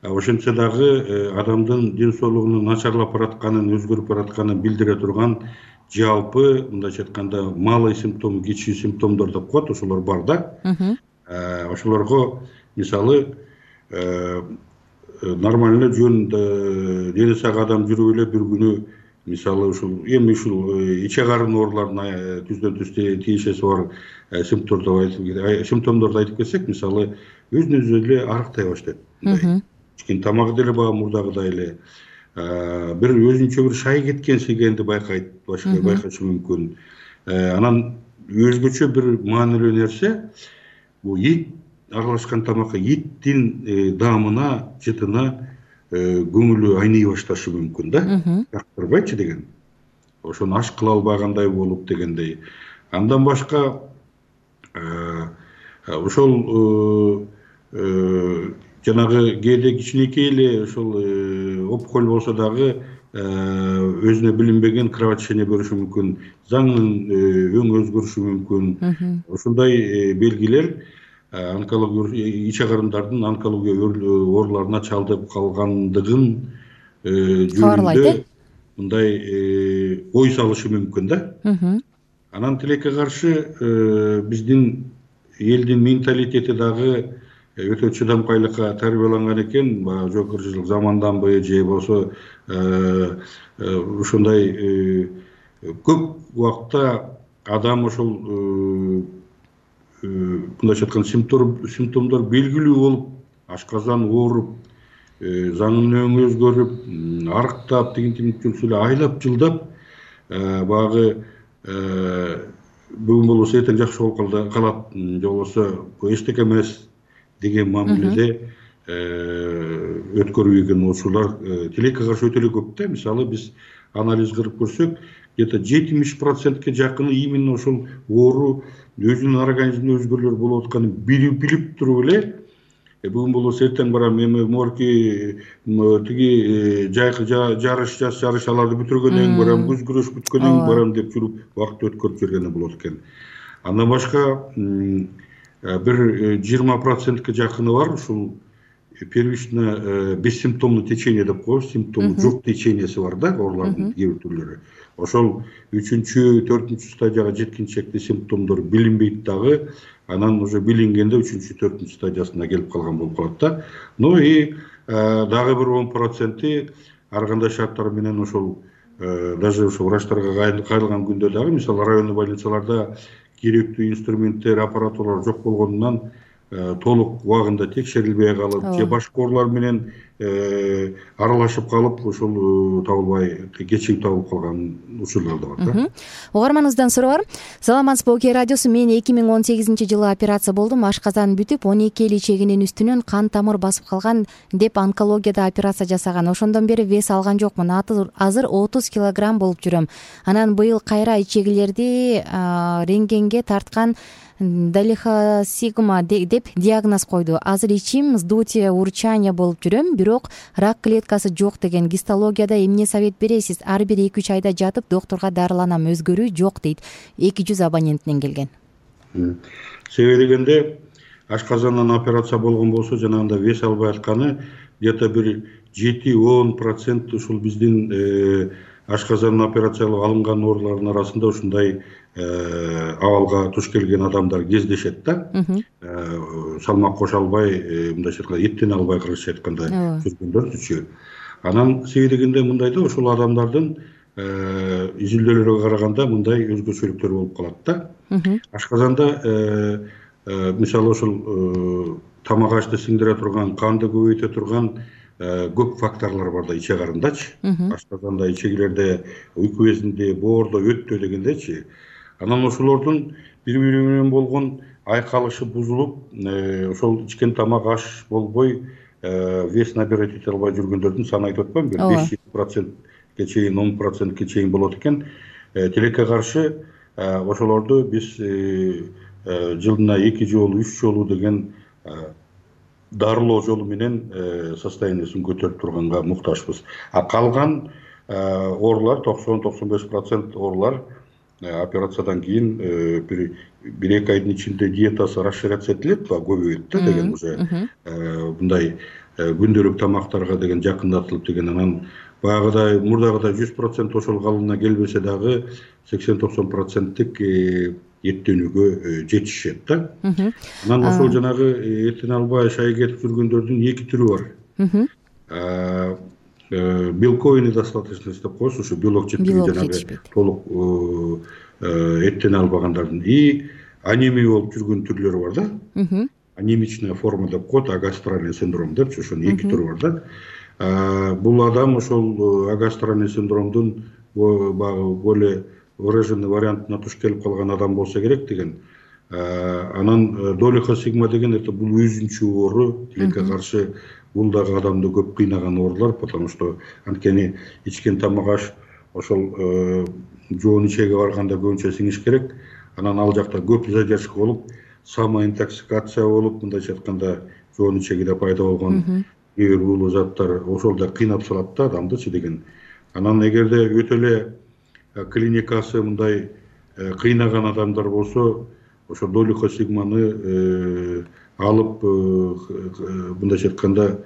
ошентсе дагы адамдын ден соолугунун начарлап баратканын, өзгөрүп баратканын билдире турган жалпы мындайча айтканда малый симптом, кичүү симптомдор деп коет, ошолор бар да. Ошолорго мисалы нормально жөн дени сак адам жүрүп эле бир күнү мисалы ушул эми ушул иче карын ооруларына түздөн түз тиешеси бар симптомдорду айтып кетсек, мисалы өзүнө өзү эле арыктай баштайт. Кичине тамак деле баа мурдагыдай эле бир өзүнчө бир шай кеткен секенди байкайт, башка байкашы мүмкүн. Анан өзгөчө бир маанилүү нерсе бул ит аралашкан тамакка, иттин даамына, жытына көңүлү айный башташы мүмкүн да. Жактырбайчы деген. Ошону аш кыла албагандай болуп дегендей. Андан башка ошол жанагы кээде кичинекей эле ошол опухоль болсо дагы өзүнө билинбеген кровотечение бериши мүмкүн, заңдын өң өзгөрүшү мүмкүн. Ошондой белгилер онкология, иче карындардын онкология ооруларына чалдыгып калгандыгын жөнүндө мындай ой салышы мүмкүн да. Анан тилекке каршы биздин элдин менталитети дагы өтө чыдамкайлыкка тарбияланган экен, баягы жогорку заманданбы же болсо ушундай көп убакта адам ошол мындайча айтканда симптомдор белгилүү болуп ашказан ооруп, заңын өңү өзгөрүп, арыктап, тигин-тигин жүрсө эле айлап жылдап баягы бүгүн болбосо эртең жакшы болуп калат, же болбосо эчтеке эмес деген мамиледе өткөрүп ийген учурлар тилекке каршы өтө эле көп да. Мисалы биз анализ кылып көрсөк, где-то жетимиш процентке жакыны именно ошол оору өзүнүн организминде өзгөрүүлөр болуп атканын билип туруп эле бүгүн болбосо эртең барам, эми морки тиги жайкы жарыш жаз жарыш аларды бүтүргөндөн кийин барам, күз күрөш бүткөндөн кийин барам деп жүрүп убакыт өткөрүп жүргөнү болот экен. Андан башка бир жыйырма процентке жакыны бар ушул первично бессимптомный течение деп коебуз, симптому жок теченияси бар да оорулардын кээ бир түрлөрү. Ошол үчүнчү, төртүнчү стадияга жеткенчекте симптомдор билинбейт дагы, анан уже билингенде үчүнчү, төртүнчү стадиясына келип калган болуп калат да. Ну и дагы бир он проценти ар кандай шарттар менен ошол даже ошо врачтарга кайрылган күндө дагы, мисалы райондой больницаларда керектүү инструменттер, аппаратуралар жок болгондон толук убагында текшерилбей калып, же башка оорулар менен аралашып калып, ошол табылбай кечигип табылып калган учурлар да бар да. Угарманыбыздан суроо бар. Саламатсызбы, Оке радиосу. Мен эки миң он сегизинчи жылы операция болдум. Ашказан бүтүп, он эки эл ичегинин үстүнөн кан тамыр басып калган деп онкологияда операция жасаган. Ошондон бери вес алган жокмун. Азыр отуз килограмм болуп жүрөм. Анан быйыл кайра ичегилерди рентгенге тарткан, далихосигма деп диагноз койду. Азыр ичим вздутие, урчание болуп жүрөм, бирок рак клеткасы жок деген. Гистологияда эмне совет бересиз? Ар бир эки үч айда жатып доктурга дарыланам, өзгөрүү жок дейт. эки жүз абоненттен келген. Себеби дегенде ашказандан операция болгон болсо, жанагындай вес албай атканы где-то бир жети он процент ушул биздин ашказандан операциялап алынган оорулардын арасында ушундай абалга туш келген адамдар кездешет да. Салмак кошо албай, мындайча айтканда эттен албай, кыргызча айтканда жүргөндөрчү. Анан себеби дегенде мындай да, ошол адамдардын изилдөөлөргө караганда мындай өзгөчөлүктөр болуп калат да. Ашказанда мисалы ошол тамак ашты сиңдире турган, канды көбөйтө турган көп факторлор бар да иче карындачы. Ашказанда, ичегилерде, уйку безинде, боордо, өттө дегендечи. Анан ошолордун бири-бири менен болгон айкалышы бузулуп, ошол ичкен тамак аш болбой, вес набирать эте албай жүргөндөрдүн саны айтып атпаймынбы? беш процентке чейин, он процентке чейин болот экен. Тилекке каршы ошолорду биз жылына эки жолу, үч жолу деген дарылоо жолу менен состояниясын көтөрүп турганга муктажбыз. А калган оорулар токсон токсон беш процент оорулар операциядан кийин бир эки айдын ичинде диетасы расширяться этилет, көбөйөт да деген уже мындай күндөлүк тамактарга деген жакындатылып деген. Анан баягыдай мурдагыдай жүз процент ошол калыбына келбесе дагы сексен токсон проценттик эттенүүгө жетишет да. Анан ошол жанагы эттен албай шай кетип жүргөндөрдүн эки түрү бар. Белковой недостаточность деп коебуз, ошо белок жетпеген жанагы толук эттен албагандардын. И анемия болуп жүргөн түрлөрү бар да. Анемичная форма деп коет, агастральный синдром депчи, ошонун эки түрү бар да. Бул адам ошол агастральный синдромдун более выраженный вариантына туш келип калган адам болсо керек деген. Анан долихосигма деген это бул өзүнчө оору, тилекке каршы бул дагы адамды көп кыйнаган оорулар, потому что анткени ичкен тамак аш ошол жоон ичеге барганда көбүнчө сиңиш керек. Анан ал жакта көп задержка болуп, самоинтоксикация болуп, мындайча айтканда жоон ичегиде пайда болгон кээ бир уулуу заттар ошол да кыйнап салат да адамдычы деген. Анан эгерде өтө эле клиникасы мындай кыйнаган адамдар болсо, ошо долихосигманы алып, мындайча айтканда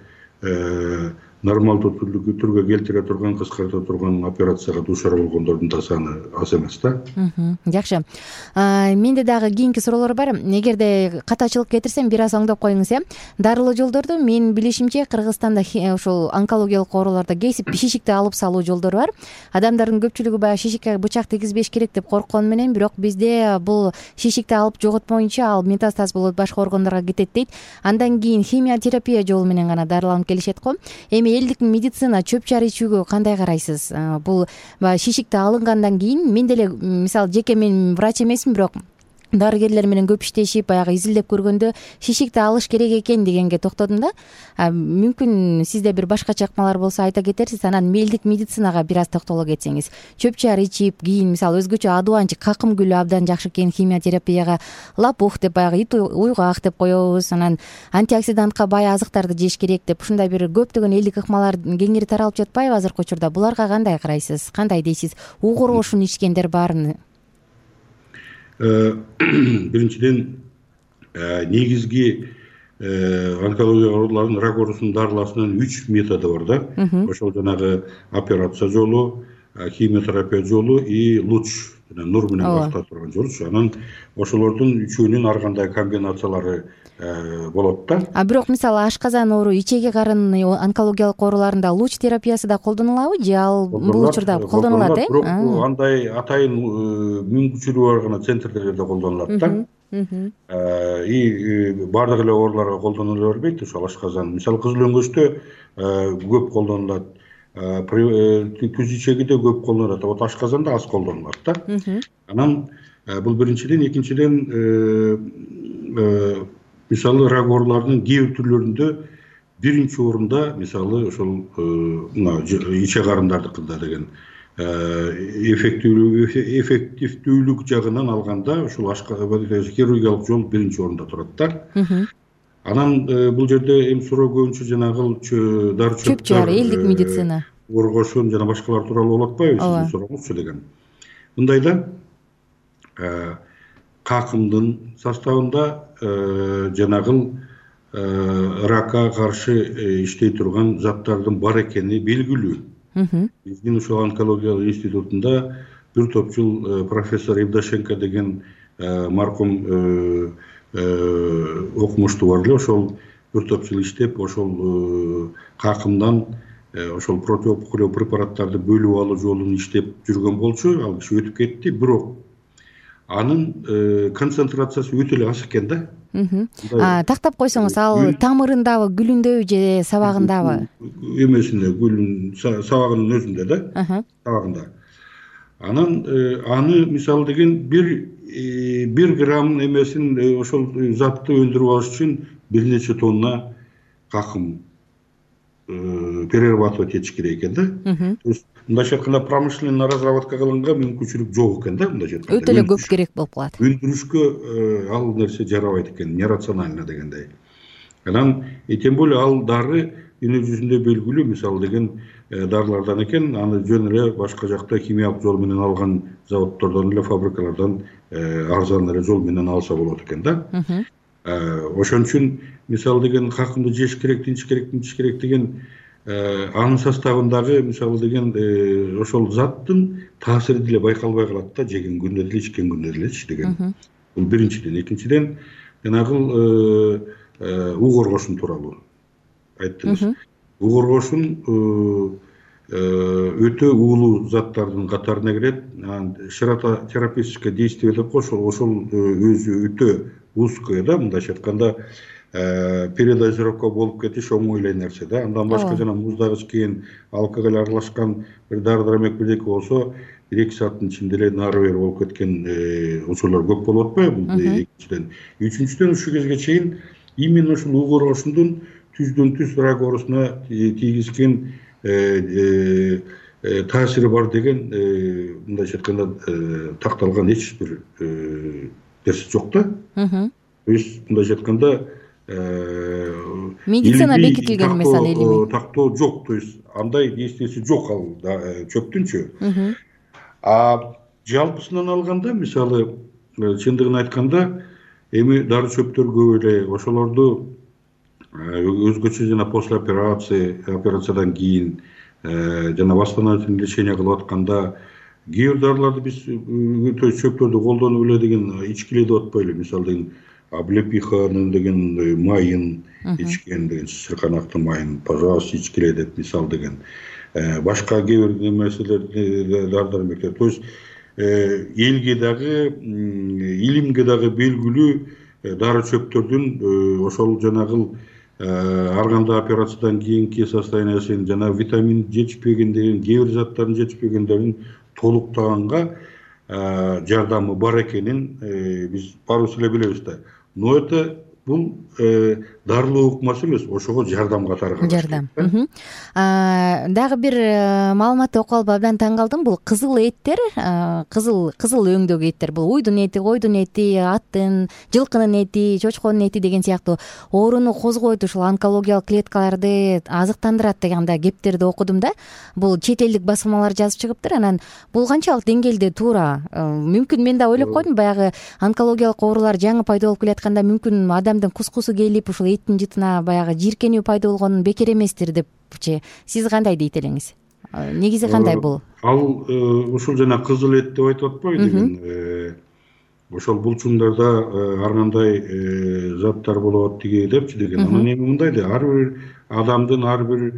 нормалдуу түргө келтире турган, кыскарта турган операцияга дуушар болгондордун да саны аз эмес да. Жакшы. Менде дагы кийинки суроолор бар. Эгерде катачылык кетирсем бир аз оңдоп коюңуз, э. Дарылуу жолдорду мен билишимче Кыргызстанда ошол онкологиялык ооруларда кесип шишикти алып салуу жолдору бар. Адамдардын көпчүлүгү баягы шишикке бычак тийгизбеш керек деп корккону менен, бирок бизде бул шишикти алып жоготмоюнча ал метастаз болот, башка органдарга кетет дейт. Андан кийин химиотерапия жолу менен гана дарыланып келишет го. Эми элдик медицина чөп чар ичүүгө кандай карайсыз? Бул шишикти алынгандан кийин мен деле мисалы жеке мен врач эмесмин, бирок дарыгерлер менен көп иштешип баягы изилдеп көргөндө шишикти алыш керек экен дегенге токтодум да. Мүмкүн сизде бир башкача ыкмалар болсо айта кетерсиз. Анан элдик медицинага бир аз токтоло кетсеңиз. Чөп чар ичип, кийин мисалы өзгөчө адубанчы какым гүлү абдан жакшы экен химиотерапияга, лапух деп баягы ит уйгак деп коебуз. Анан антиоксидантка бай азыктарды жеш керек деп ушундай бир көптөгөн элдик ыкмалар кеңири таралып жатпайбы азыркы учурда? Буларга кандай карайсыз? Кандай дейсиз? Угур ошун ичкендер барын? Биринчиден, негизги онкология ооруларынын рак оорусунун дарылашынын үч методу бар да. Ошол жанагы операция жолу, химиотерапия жолу и луч, нур менен бактыра турган жолчу. Анан ошолордун үчөөнүн ар кандай комбинациялары болот да. А бирок мисалы ашказан оору, ичеги карын онкологиялык ооруларында луч терапиясы да колдонулабы же ал бул учурда колдонулат, э? Бирок андай атайын мүмкүнчүлүгү бар гана центрлерде колдонулат да. И бардык эле ооруларга колдонула бербейт. Ошол ашказан, мисалы кызыл өңгөчтө көп колдонулат, күз ичегиде көп колдонулат, вот ашказанда аз колдонулат да. Анан бул биринчиден, экинчиден мисалы рак ооруларынын кээ бир түрлөрүндө биринчи орунда мисалы ошол иче карындардыкында деген эффективдүүлүк жагынан алганда ошол хирургиялык жол биринчи орунда турат да. Анан бул жерде эми суроо көбүнчө жанагы дары чөптөр, элдик медицина, оргошун жана башкалар тууралуу болуп атпайбы сиздин сурооңузчу деген. Мындайда какымдын составында жанагыл ракка каршы иштей турган заттардын бар экени белгилүү. Биздин ушул онкологиялык институтунда бир топ жыл профессор Евдошенко деген маркум окумуштуу бар эле, ошол бир топ жыл иштеп, ошол какымдан ошол противоопухолевый препараттарды бөлүп алуу жолун иштеп жүргөн болчу. Ал киши өтүп кетти, бирок анын концентрациясы өтө эле аз экен да. Тактап койсоңуз, ал тамырындабы, гүлүндөбү же сабагындабы? Эмесинде, гүлүн, сабагынын өзүндө да, сабагында. Анан аны мисалы деген бир бир грамм эмесин ошол затты өндүрүп алыш үчүн бир нече тонна какым перерабатывать этиш керек экен да. То есть мындайча айтканда промышленный разработка кылганга мүмкүнчүлүк жок экен да, мындайча айтканда. Өтө эле көп керек болуп калат. Өндүрүшкө ал нерсе жарабайт экен, нерационально дегендей. Анан тем более ал дары дүнү жүзүндө белгилүү, мисалы деген дарылардан экен, аны жөн эле башка жакта химиялык жол менен алган заводдордон эле, фабрикалардан арзан эле жол менен алса болот экен да. Ошон үчүн мисалы деген какымды жеш керек, тинчиш керек, тинчиш керек деген анын составындагы мисалы деген ошол заттын таасири деле байкалбай калат да, жеген күндө деле, ичкен күндө делечи деген. Бул биринчиден. Экинчиден, жанагы уг оргошун тууралуу айттыңыз. Уг оргошун өтө уулуу заттардын катарына кирет. Ширототерапевтическое действие деп ошол ошол өзү өтө узкое да, мындайча айтканда передозировка болуп кетиш оңой эле нерсе да. Андан башка жана муздагыч кийин алкоголь аралашкан бир дары-дармек бирдеке болсо бир эки сааттын ичинде эле нары бери болуп кеткен учурлар көп болуп атпайбы? Экинчиден. Үчүнчүдөн ушу кезге чейин именно ушул уг оргошундун түздөн түз рак оорусуна тийгизген таасири бар деген мындайча айтканда такталган эч бир нерсе жок да. То есть мындайча айтканда медицина бекитилген мисалы элими тактоо жок, то есть андай действиеси жок ал чөптүнчү. А жалпысынан алганда мисалы чындыгын айтканда эми дары чөптөр көп эле, ошолорду өзгөчө жана после операции операциядан кийин жана восстановительный лечение кылып атканда кээ бир дарыларды биз чөптөрдү колдонуп эле деген ичкиле деп атпайлы. Мисалы деген облепиханын деген майын ичкен деген, сырканактын майын пожалуйста ичкиле деп мисал деген. Башка кээ бир нерселерди дардар мектеп. То есть элге дагы, илимге дагы белгилүү дары чөптөрдүн ошол жанагыл ар кандай операциядан кийинки состояниясын жана витамин жетишпегендерин, кээ бир заттардын жетишпегендерин толуктаганга жардамы бар экенин биз баарыбыз эле билебиз да. Но это бул дарылоо укмасы эмес, ошого жардам катары караш. Жардам. Дагы бир маалыматты окуп алып абдан таң калдым. Бул кызыл эттер, кызыл кызыл өңдөгү эттер. Бул уйдун эти, койдун эти, аттын, жылкынын эти, чочконун эти деген сыяктуу ооруну козгойт, ушул онкологиялык клеткаларды азыктандырат деген андай кептерди окудум да. Бул чет элдик басылмалар жазып чыгыптыр. Анан бул канчалык деңгээлде туура? Мүмкүн мен да ойлоп койдум, баягы онкологиялык оорулар жаңы пайда болуп келатканда мүмкүн адамдын кускусу келип ушул эттин жытына баягы жийиркенүү пайда болгонун бекер эместир депчи. Сиз кандай дейт элеңиз? Негизи кандай бул? Ал ушул жана кызыл эт деп айтып атпайбы деген. Ошол булчуңдарда ар кандай заттар болот тиги депчи деген. Анан эми мындай да, ар бир адамдын, ар бир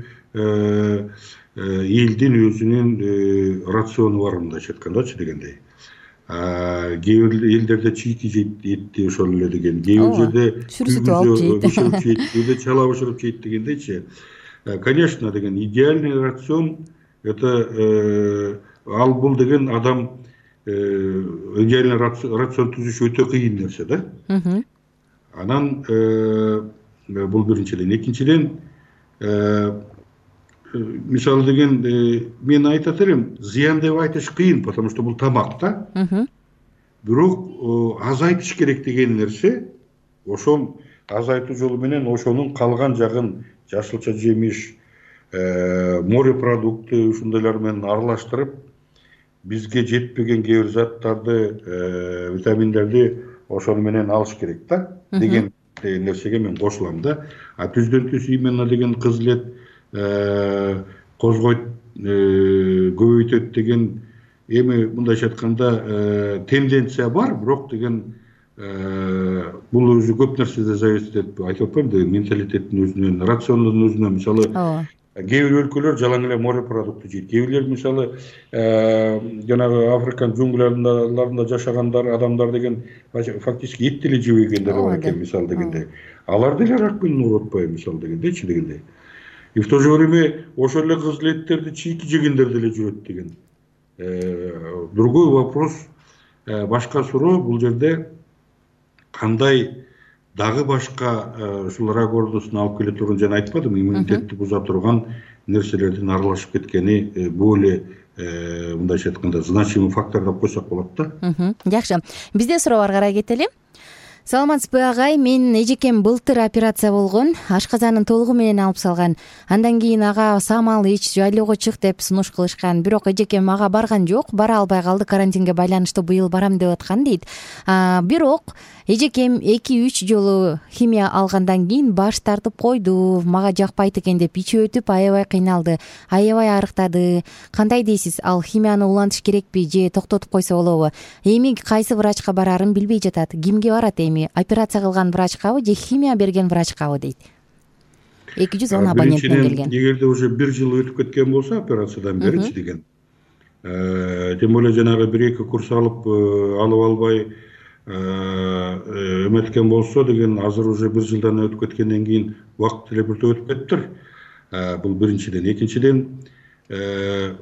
элдин өзүнүн рациону бар мындайча айткандачы дегендей. Кээ бир элдерде чийки жейт этти ошол эле деген, кээ бир жерде сүрүзүтүп алып бышырып жейт, кээде чала бышырып жейт дегендейчи. Конечно, деген идеальный рацион это ал бул деген адам идеальный рацион түзүш өтө кыйын нерсе да. Анан бул биринчиден, экинчиден мисалы деген мен айтат элем, зыян деп айтыш кыйын, потому что бул тамак да. Бирок азайтыш керек деген нерсе, ошол азайтуу жолу менен ошонун калган жагын жашылча жемиш, морепродукты ушундайлар менен аралаштырып, бизге жетпеген кээ бир заттарды, витаминдерди ошону менен алыш керек да деген нерсеге мен кошулам да. А түздөн түз именно деген кызыл эт козгойт, көбөйтөт деген эми мындайча айтканда тенденция бар, бирок деген бул өзү көп нерседен зависит этип айтып атпайм да, менталитеттин өзүнөн, рациондун өзүнөн. Мисалы кээ бир өлкөлөр жалаң эле морепродукты жейт, кээ бирлер мисалы жанагы Африкан джунгляларында жашагандар адамдар деген фактически эт деле жебегендер бар экен мисалы дегенде. Алар деле рак менен ооруп атпайбы мисалы дегендейчи дегенде. И в то же время ошол эле кызыл эттерди чийки жегендер деле жүрөт деген. Другой вопрос, башка суроо бул жерде кандай дагы башка ушул рак оорусун алып келе турган, жана айтпадым, иммунитетти буза турган нерселердин аралашып кеткени бул эле мындайча айтканда значимый фактор деп койсок болот да. Жакшы. Бизде суроолор карай кетели. Саламатсызбы агай, мен эжекем былтыр операция болгон, ашказанын толугу менен алып салган. Андан кийин ага самал ич, жайлоого чык деп сунуш кылышкан. Бирок эжекем ага барган жок, бара албай калды, карантинге байланыштуу быйыл барам деп аткан дейт. Бирок эжекем эки үч жолу химия алгандан кийин баш тартып койду. Мага жакпайт экен деп ичи өтүп аябай кыйналды, аябай арыктады. Кандай дейсиз? Ал химияны улантыш керекпи же токтотуп койсо болобу? Эми кайсы врачка барарын билбей жатат. Кимге барат эми? Операция кылган врачкабы же химия берген врачкабы дейт. эки жүз он абоненттен келген. Эгерде уже бир жыл өтүп кеткен болсо операциядан беричи деген. Тем более жанагы бир эки курс алып алып албай эметкен болсо деген, азыр уже бир жылдан өтүп кеткенден кийин убакыт эле биртип өтүп кетиптир. Бул биринчиден. Экинчиден,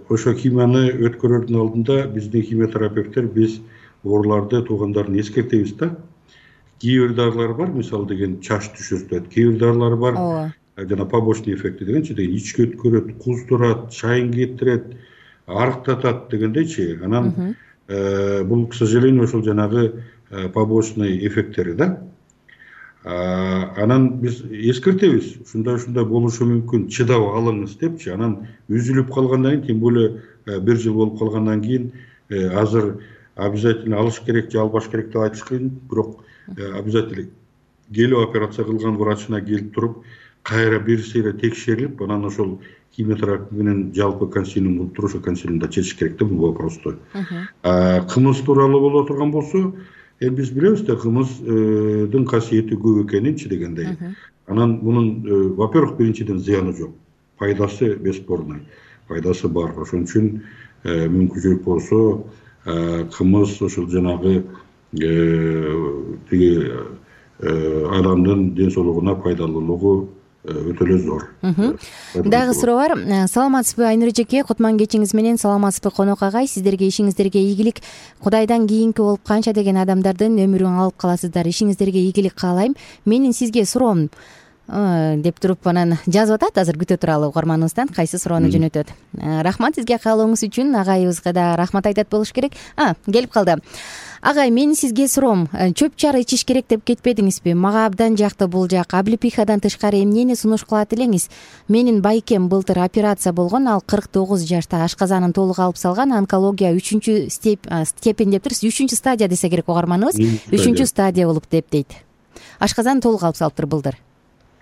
ошо химияны өткөрөрдүн алдында биздин химиотерапевттер биз ооруларды туугандарын эскертебиз да. Кээ бир дарылар бар, мисалы деген чач түшүртөт, кээ бир дарылар бар, жана побочный эффекти дегенчи, деген ичке өткөрөт, куздурат, чайын кетирет, арыктатат дегендейчи. Анан бул, к сожалению, ошол жанагы побочный эффекттери да. Анан биз эскертебиз, ушундай ушундай болушу мүмкүн, чыдап алыңыз депчи. Анан үзүлүп калгандан кийин, тем более бир жыл болуп калгандан кийин азыр обязательно алыш керек же албаш керек деп айтыш кыйын, бирок обязательно келип операция кылган врачына келип туруп кайра бир сейре текшерилип, анан ошол химиотерапия менен жалпы консилиум кылып туруп, ошо консилиумда чечиш керек да бул вопросту. Кымыз тууралуу боло турган болсо, эми биз билебиз да кымыздын касиети көп экенинчи дегендей. Анан мунун, во-первых, биринчиден зыяны жок, пайдасы бесспорный, пайдасы бар. Ошон үчүн мүмкүнчүлүк болсо кымыз ошол жанагы тиги адамдын ден соолугуна пайдалуулугу өтө эле зор. Дагы суроо бар. Саламатсызбы Айнур эжеке, кутман кечиңиз менен. Саламатсызбы конок агай, сиздерге ишиңиздерге ийгилик. Кудайдан кийинки болуп канча деген адамдардын өмүрүн алып каласыздар. Ишиңиздерге ийгилик каалайм. Менин сизге суроом деп туруп анан жазып атат. Азыр күтө туралы угарманыбыздан кайсы суроону жөнөтөт. Рахмат сизге каалооңуз үчүн. Агайыбызга да рахмат айтат болуш керек. А, келип калды. Агай, менин сизге суроом, чөп чар ичиш керек деп кетпедиңизби? Мага абдан жакты бул жак. Облепихадан тышкары эмнени сунуш кылат элеңиз? Менин байкем былтыр операция болгон, ал кырк тогуз жашта, ашказанын толук алып салган, онкология үчүнчү степень деп турсуз, үчүнчү стадия десе керек угарманыбыз. үчүнчү стадия болуп деп дейт. Ашказанын толук алып салыптыр былтыр.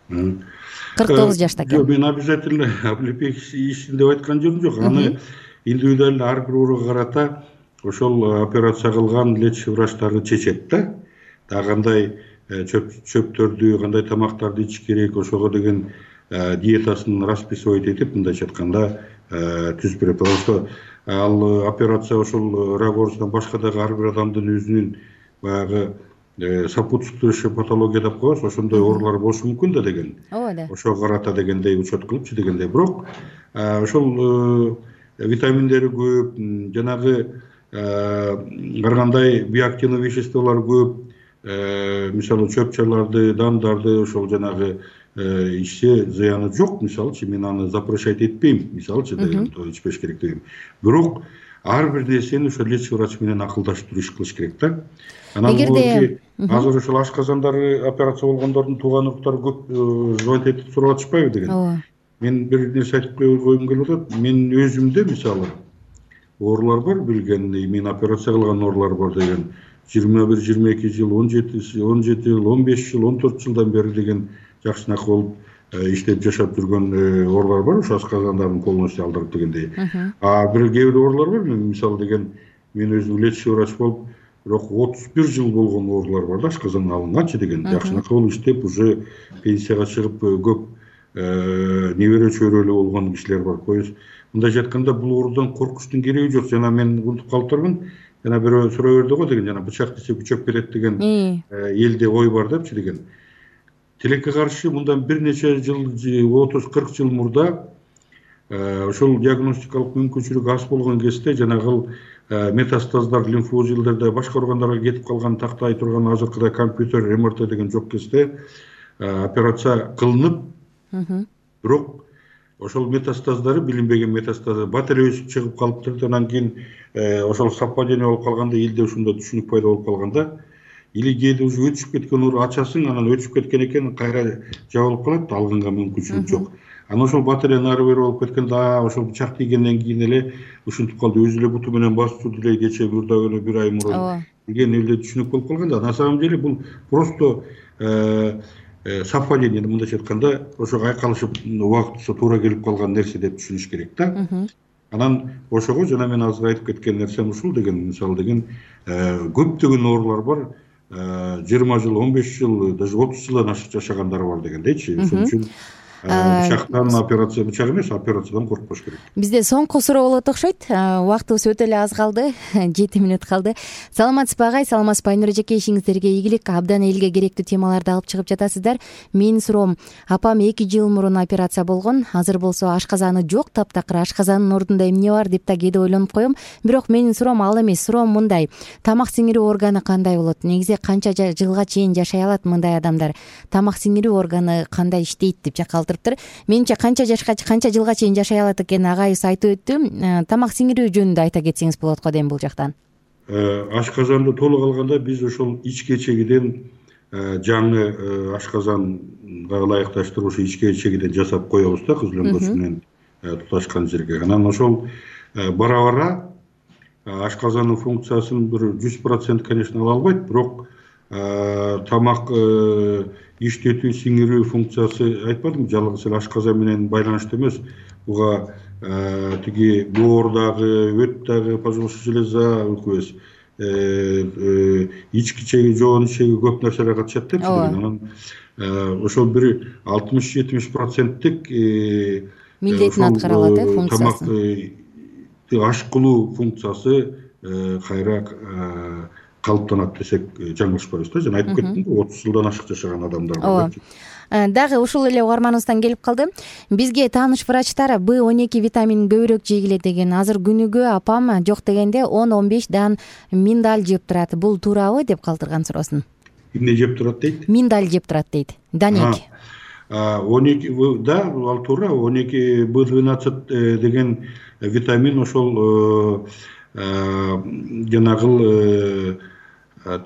кырк тогуз жашта экен. Жок, мен обязательно облепих ичсин деп айткан жөнүм жок. Аны индивидуально ар бир ооруга карата ошол операция кылган лечащий врачтары чечет да. Дагы кандай чөптөрдү, кандай тамактарды ичиш керек, ошого деген диетасын расписывать этип, мындайча айтканда түзүп берет. Потому что ал операция ошол рак оорусунан башка дагы ар бир адамдын өзүнүн баягы сопутствующий патология деп коебуз, ошондой оорулар болушу мүмкүн да деген. Ооба. Ошого карата дегендей учет кылыпчы дегендей. Бирок ошол витаминдери көп, жанагы ар кандай биоактивный веществолор көп, мисалы чөп-чарларды, дандарды ошол жанагы ичсе зыяны жок. Мисалычы мен аны запрещать этпейм, мисалычы ичпеш керек дейм. Бирок ар бир нерсени ошо лечащий врач менен акылдашып туруп иш кылыш керек да. Анан эгерде азыр ошол ашказандары операция болгондордун тууган уруктары көп звонить этип сурап атышпайбы деген. Ооба. Мен бир нерсе айтып койгум келип атат. Мен өзүмдө мисалы оорулар бар, билген, мен операция кылган оорулар бар деген. жыйырма бир жыйырма эки жыл, он жети жыл, он беш жыл, он төрт жылдан бери деген жакшынакы болуп иштеп жашап жүргөн оорулар бар, ошо асказандарын полностью алдырып дегендей. А бир кээ бир оорулар бар, мен мисалы деген мен өзүм лечащий врач болуп, бирок отуз бир жыл болгон оорулар бар да, асказан алынганчы деген. Жакшынакы болуп иштеп, уже пенсияга чыгып көп небере чөйрөлүү болгон кишилер бар. То есть мындайча айтканда бул оорудан коркуштун кереги жок. Жана мен унутуп калыптырмын. Жана бирөө суроо берди го деген, жана бычак десе күчөп берет деген элде ой бар депчи деген. Тилекке каршы мындан бир нече жыл, отуз кырк жыл мурда ошол диагностикалык мүмкүнчүлүк аз болгон кезде жанагы метастаздар лимфоузелдерде башка органдарга кетип калган, тактай турган азыркыдай компьютер, эм эр тэ деген жок кезде операция кылынып, бирок ошол метастаздары, билинбеген метастазы батарея өсүп чыгып калыптыр. Анан кийин ошол совпадение болуп калганда, элде ушундай түшүнүк пайда болуп калганда, или кээде уже өтүшүп кеткен оор ачасың, анан өтүшүп кеткен экен, кайра жабылып калат, алганга мүмкүнчүлүк жок. Анан ошол батарея нары бери болуп кеткенде, ошол бычак тийгенден кийин эле ушинтип калды, өзү эле буту менен басып турду эле кече бир бир ай мурун деген эле түшүнүк болуп калганда. На самом деле бул просто совпадение, мындайча айтканда, ошого айкалышып убактысы туура келип калган нерсе деп түшүнүш керек да. Анан ошого жана мен азыр айтып кеткен нерсем ушул деген, мисалы деген көптөгөн оорулар бар, жыйырма жыл, он беш жыл, даже отуз жылдан ашык жашагандар бар дегендейчи. Ошон үчүн бычактан операция, бычак эмес, операциядан коркпош керек. Бизде соңку суроо болот окшойт. Убактыбыз өтө эле аз калды, жети мүнөт калды. Саламатсызбы агай, саламатсызбы Айнур эжеке, ишиңиздерге ийгилик. Абдан элге керектүү темаларды алып чыгып жатасыздар. Менин суроом, апам эки жыл мурун операция болгон, азыр болсо ашказаны жок, таптакыр. Ашказанын ордунда эмне бар деп да кээде ойлонуп коем. Бирок менин суроом ал эмес, суроом мындай: тамак сиңирүү органы кандай болот? Негизи канча жылга чейин жашай алат мындай адамдар? Тамак сиңирүү органы кандай иштейт деп жакал Менче канча жашка, канча жылга чейин жашай алат экен агайыбыз айтып өттү. Тамак сиңирүү жөнүндө айта кетсеңиз болот го дейм бул жактан. Ашказанды толук алганда биз ошол ичке чегиден жаңы ашказанга ылайыкташтыруушу ичке чегиден жасап коебуз да, кыз лөмбөсү менен туташкан жерге. Анан ошол бара-бара ашказандын функциясын бир жүз процент конечно ала албайт, бирок тамак иштетүү, сиңирүү функциясы айтпадымбы, жалгыз эле ашказан менен байланыштуу эмес. Буга тиги боор дагы, өт дагы, поджелудочный железа, өкүбүз, ички чеги, жоон чеги көп нерселер катышат депчи. Анан ошол бир алтымыш жетимиш проценттик милдетин аткара алат, э, функциясы. Тамак аш кылуу функциясы кайра калыптанат десек жаңылышпайбыз да. Жана айтып кеттим, отуз жылдан ашык жашаган адамдар бар. Дагы ушул эле угарманыбыздан келип калды. Бизге тааныш врачтар Б он эки витаминин көбүрөөк жегиле деген. Азыр күнүгө апам жок дегенде он он беш дан миндаль жеп турат. Бул туурабы деп калтырган суроосун. Эмне жеп турат дейт? Миндаль жеп турат дейт. Данек. он эки, да, ал туура. он эки Б двенадцать деген витамин ошол жанагыл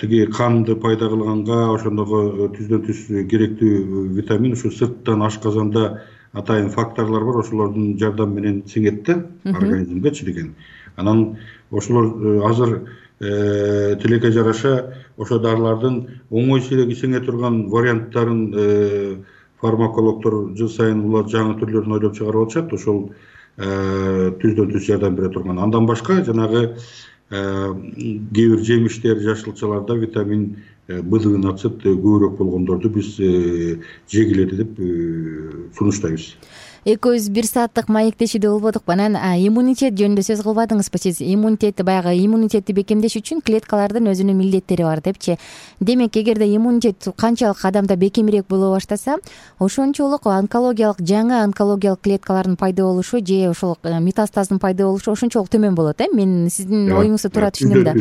тиги канды пайда кылганга ошондогу түздөн түз керектүү витамин ушу сырттан ашказанда атайын факторлор бар, ошолордун жардамы менен сиңет да организмгечи деген. Анан ошолор азыр тилекке жараша ошо дарылардын оңой сиңе турган варианттарын фармакологдор жыл сайын улар жаңы түрлөрүн ойлоп чыгарып атышат. Ошол түздөн түз жардам бере турган. Андан башка жанагы кээ бир жемиштер, жашылчаларда витамин Б двенадцать көбүрөөк болгондорду биз жегиледи деп сунуштайбыз. Экөөбүз бир сааттык маектешүүдө болбодукпу. Анан иммунитет жөнүндө сөз кылбадыңызбы сиз? Иммунитет баягы иммунитетти бекемдеш үчүн клеткалардын өзүнүн милдеттери бар депчи. Демек, эгерде иммунитет канчалык адамда бекемирээк боло баштаса, ошончолук онкологиялык жаңы онкологиялык клеткалардын пайда болушу же ошол метастаздын пайда болушу ошончолук төмөн болот, э? Мен сиздин оюңузду туура түшүнөм да.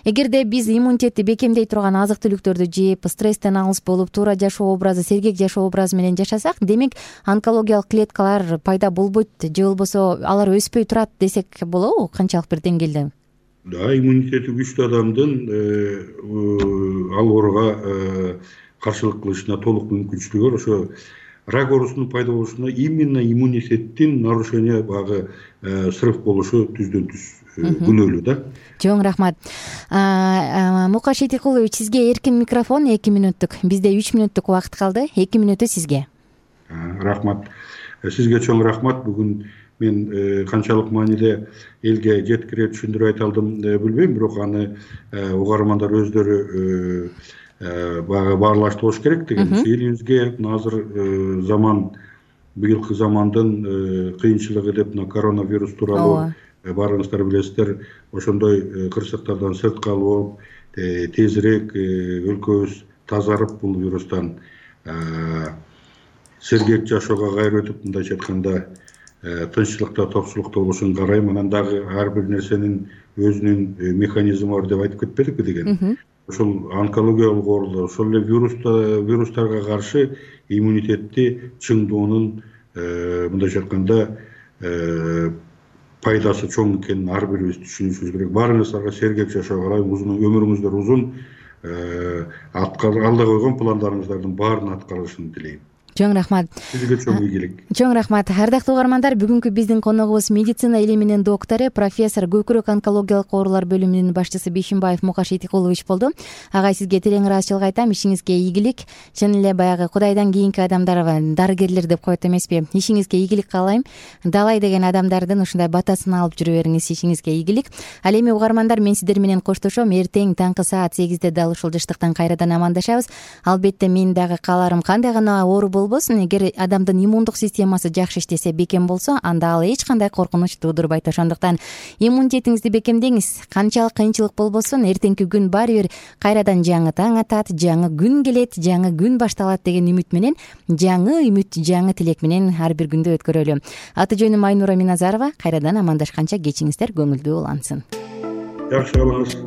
Эгерде биз иммунитетти бекемдей турган азык түлүктөрдү жеп, стресстен алыс болуп, туура жашоо образы, сергек жашоо образы менен жашасак, демек онкологиялык клеткалар пайда болбойт же болбосо алар өспөй турат десек болобу? Канчалык бир деңгээлде? Да, иммунитети күчтүү адамдын ал ооруга каршылык кылышына толук мүмкүнчүлүгү бар. Ошо рак оорусунун пайда болушуна именно иммунитеттин нарушение багы срыв болушу түздөн түз күнөөлүү да. Чоң рахмат. Мукаш Этикулович, сизге эркин микрофон эки мүнөттүк. Бизде үч мүнөттүк убакыт калды. эки мүнөтү сизге. Рахмат. Сизге чоң рахмат. Бүгүн мен канчалык мааниде элге жеткире түшүндүрүп айта алдым билбейм, бирок аны угармандар өздөрү бага баарлашты болуш керек деген. Элибизге азыр заман, быйылкы замандын кыйынчылыгы деп мына коронавирус тууралуу баарыңыздар билесиздер, ошондой кырсыктардан сыртка алып, тезирээк өлкөбүз тазарып бул вирустан сергек жашоого кайра өтүп, мындайча айтканда тынччылыкта, токчулукта болушун карайм. Анан дагы ар бир нерсенин өзүнүн механизми бар деп айтып кетпедикпи деген. Ошол онкологиялык оорулар, ошол эле вирустарга каршы иммунитетти чыңдоонун мындайча айтканда пайдасы чоң экенин ар бирибиз түшүнүшүбүз керек. Баарыңыздарга сергек жашоо каалайм, узун өмүрүңүздөр узун, алда койгон пландарыңыздардын баарын аткарылышын тилейм. Чоң рахмат. Сизге чоң ийгилик. Чоң рахмат. Ардактуу угармандар, бүгүнкү биздин коногубуз медицина илиминин доктору, профессор, көкүрөк онкологиялык оорулар бөлүмүнүн башчысы Бишимбаев Мукаш Этикулович болду. Агай, сизге терең ыраазычылык айтам. Ишиңизге ийгилик. Чын эле баягы Кудайдан кийинки адамдар, дарыгерлер деп коет эмеспи? Ишиңизге ийгилик каалайм. Далай деген адамдардын ушундай батасын алып жүрө бериңиз. Ишиңизге ийгилик. Ал эми угармандар, мен сиздер менен коштошом. Эртең таңкы саат сегизде дал ушул жыштыктан кайрадан амандашабыз. Албетте мен дагы кааларым, кандай гана оору болбосун, эгер адамдын иммундук системасы жакшы иштесе, бекем болсо, анда ал эч кандай коркунуч туудурбайт. Ошондуктан иммунитетиңизди бекемдеңиз. Канчалык кыйынчылык болбосун, эртеңки күн баары бир кайрадан жаңы таң атат, жаңы күн келет, жаңы күн башталат деген үмүт менен, жаңы үмүт, жаңы тилек менен ар бир күндү өткөрөлү. Аты жөнүм Айнура Миназарова. Кайрадан амандашканча кечиңиздер көңүлдүү улансын. Жакшы болуңуз.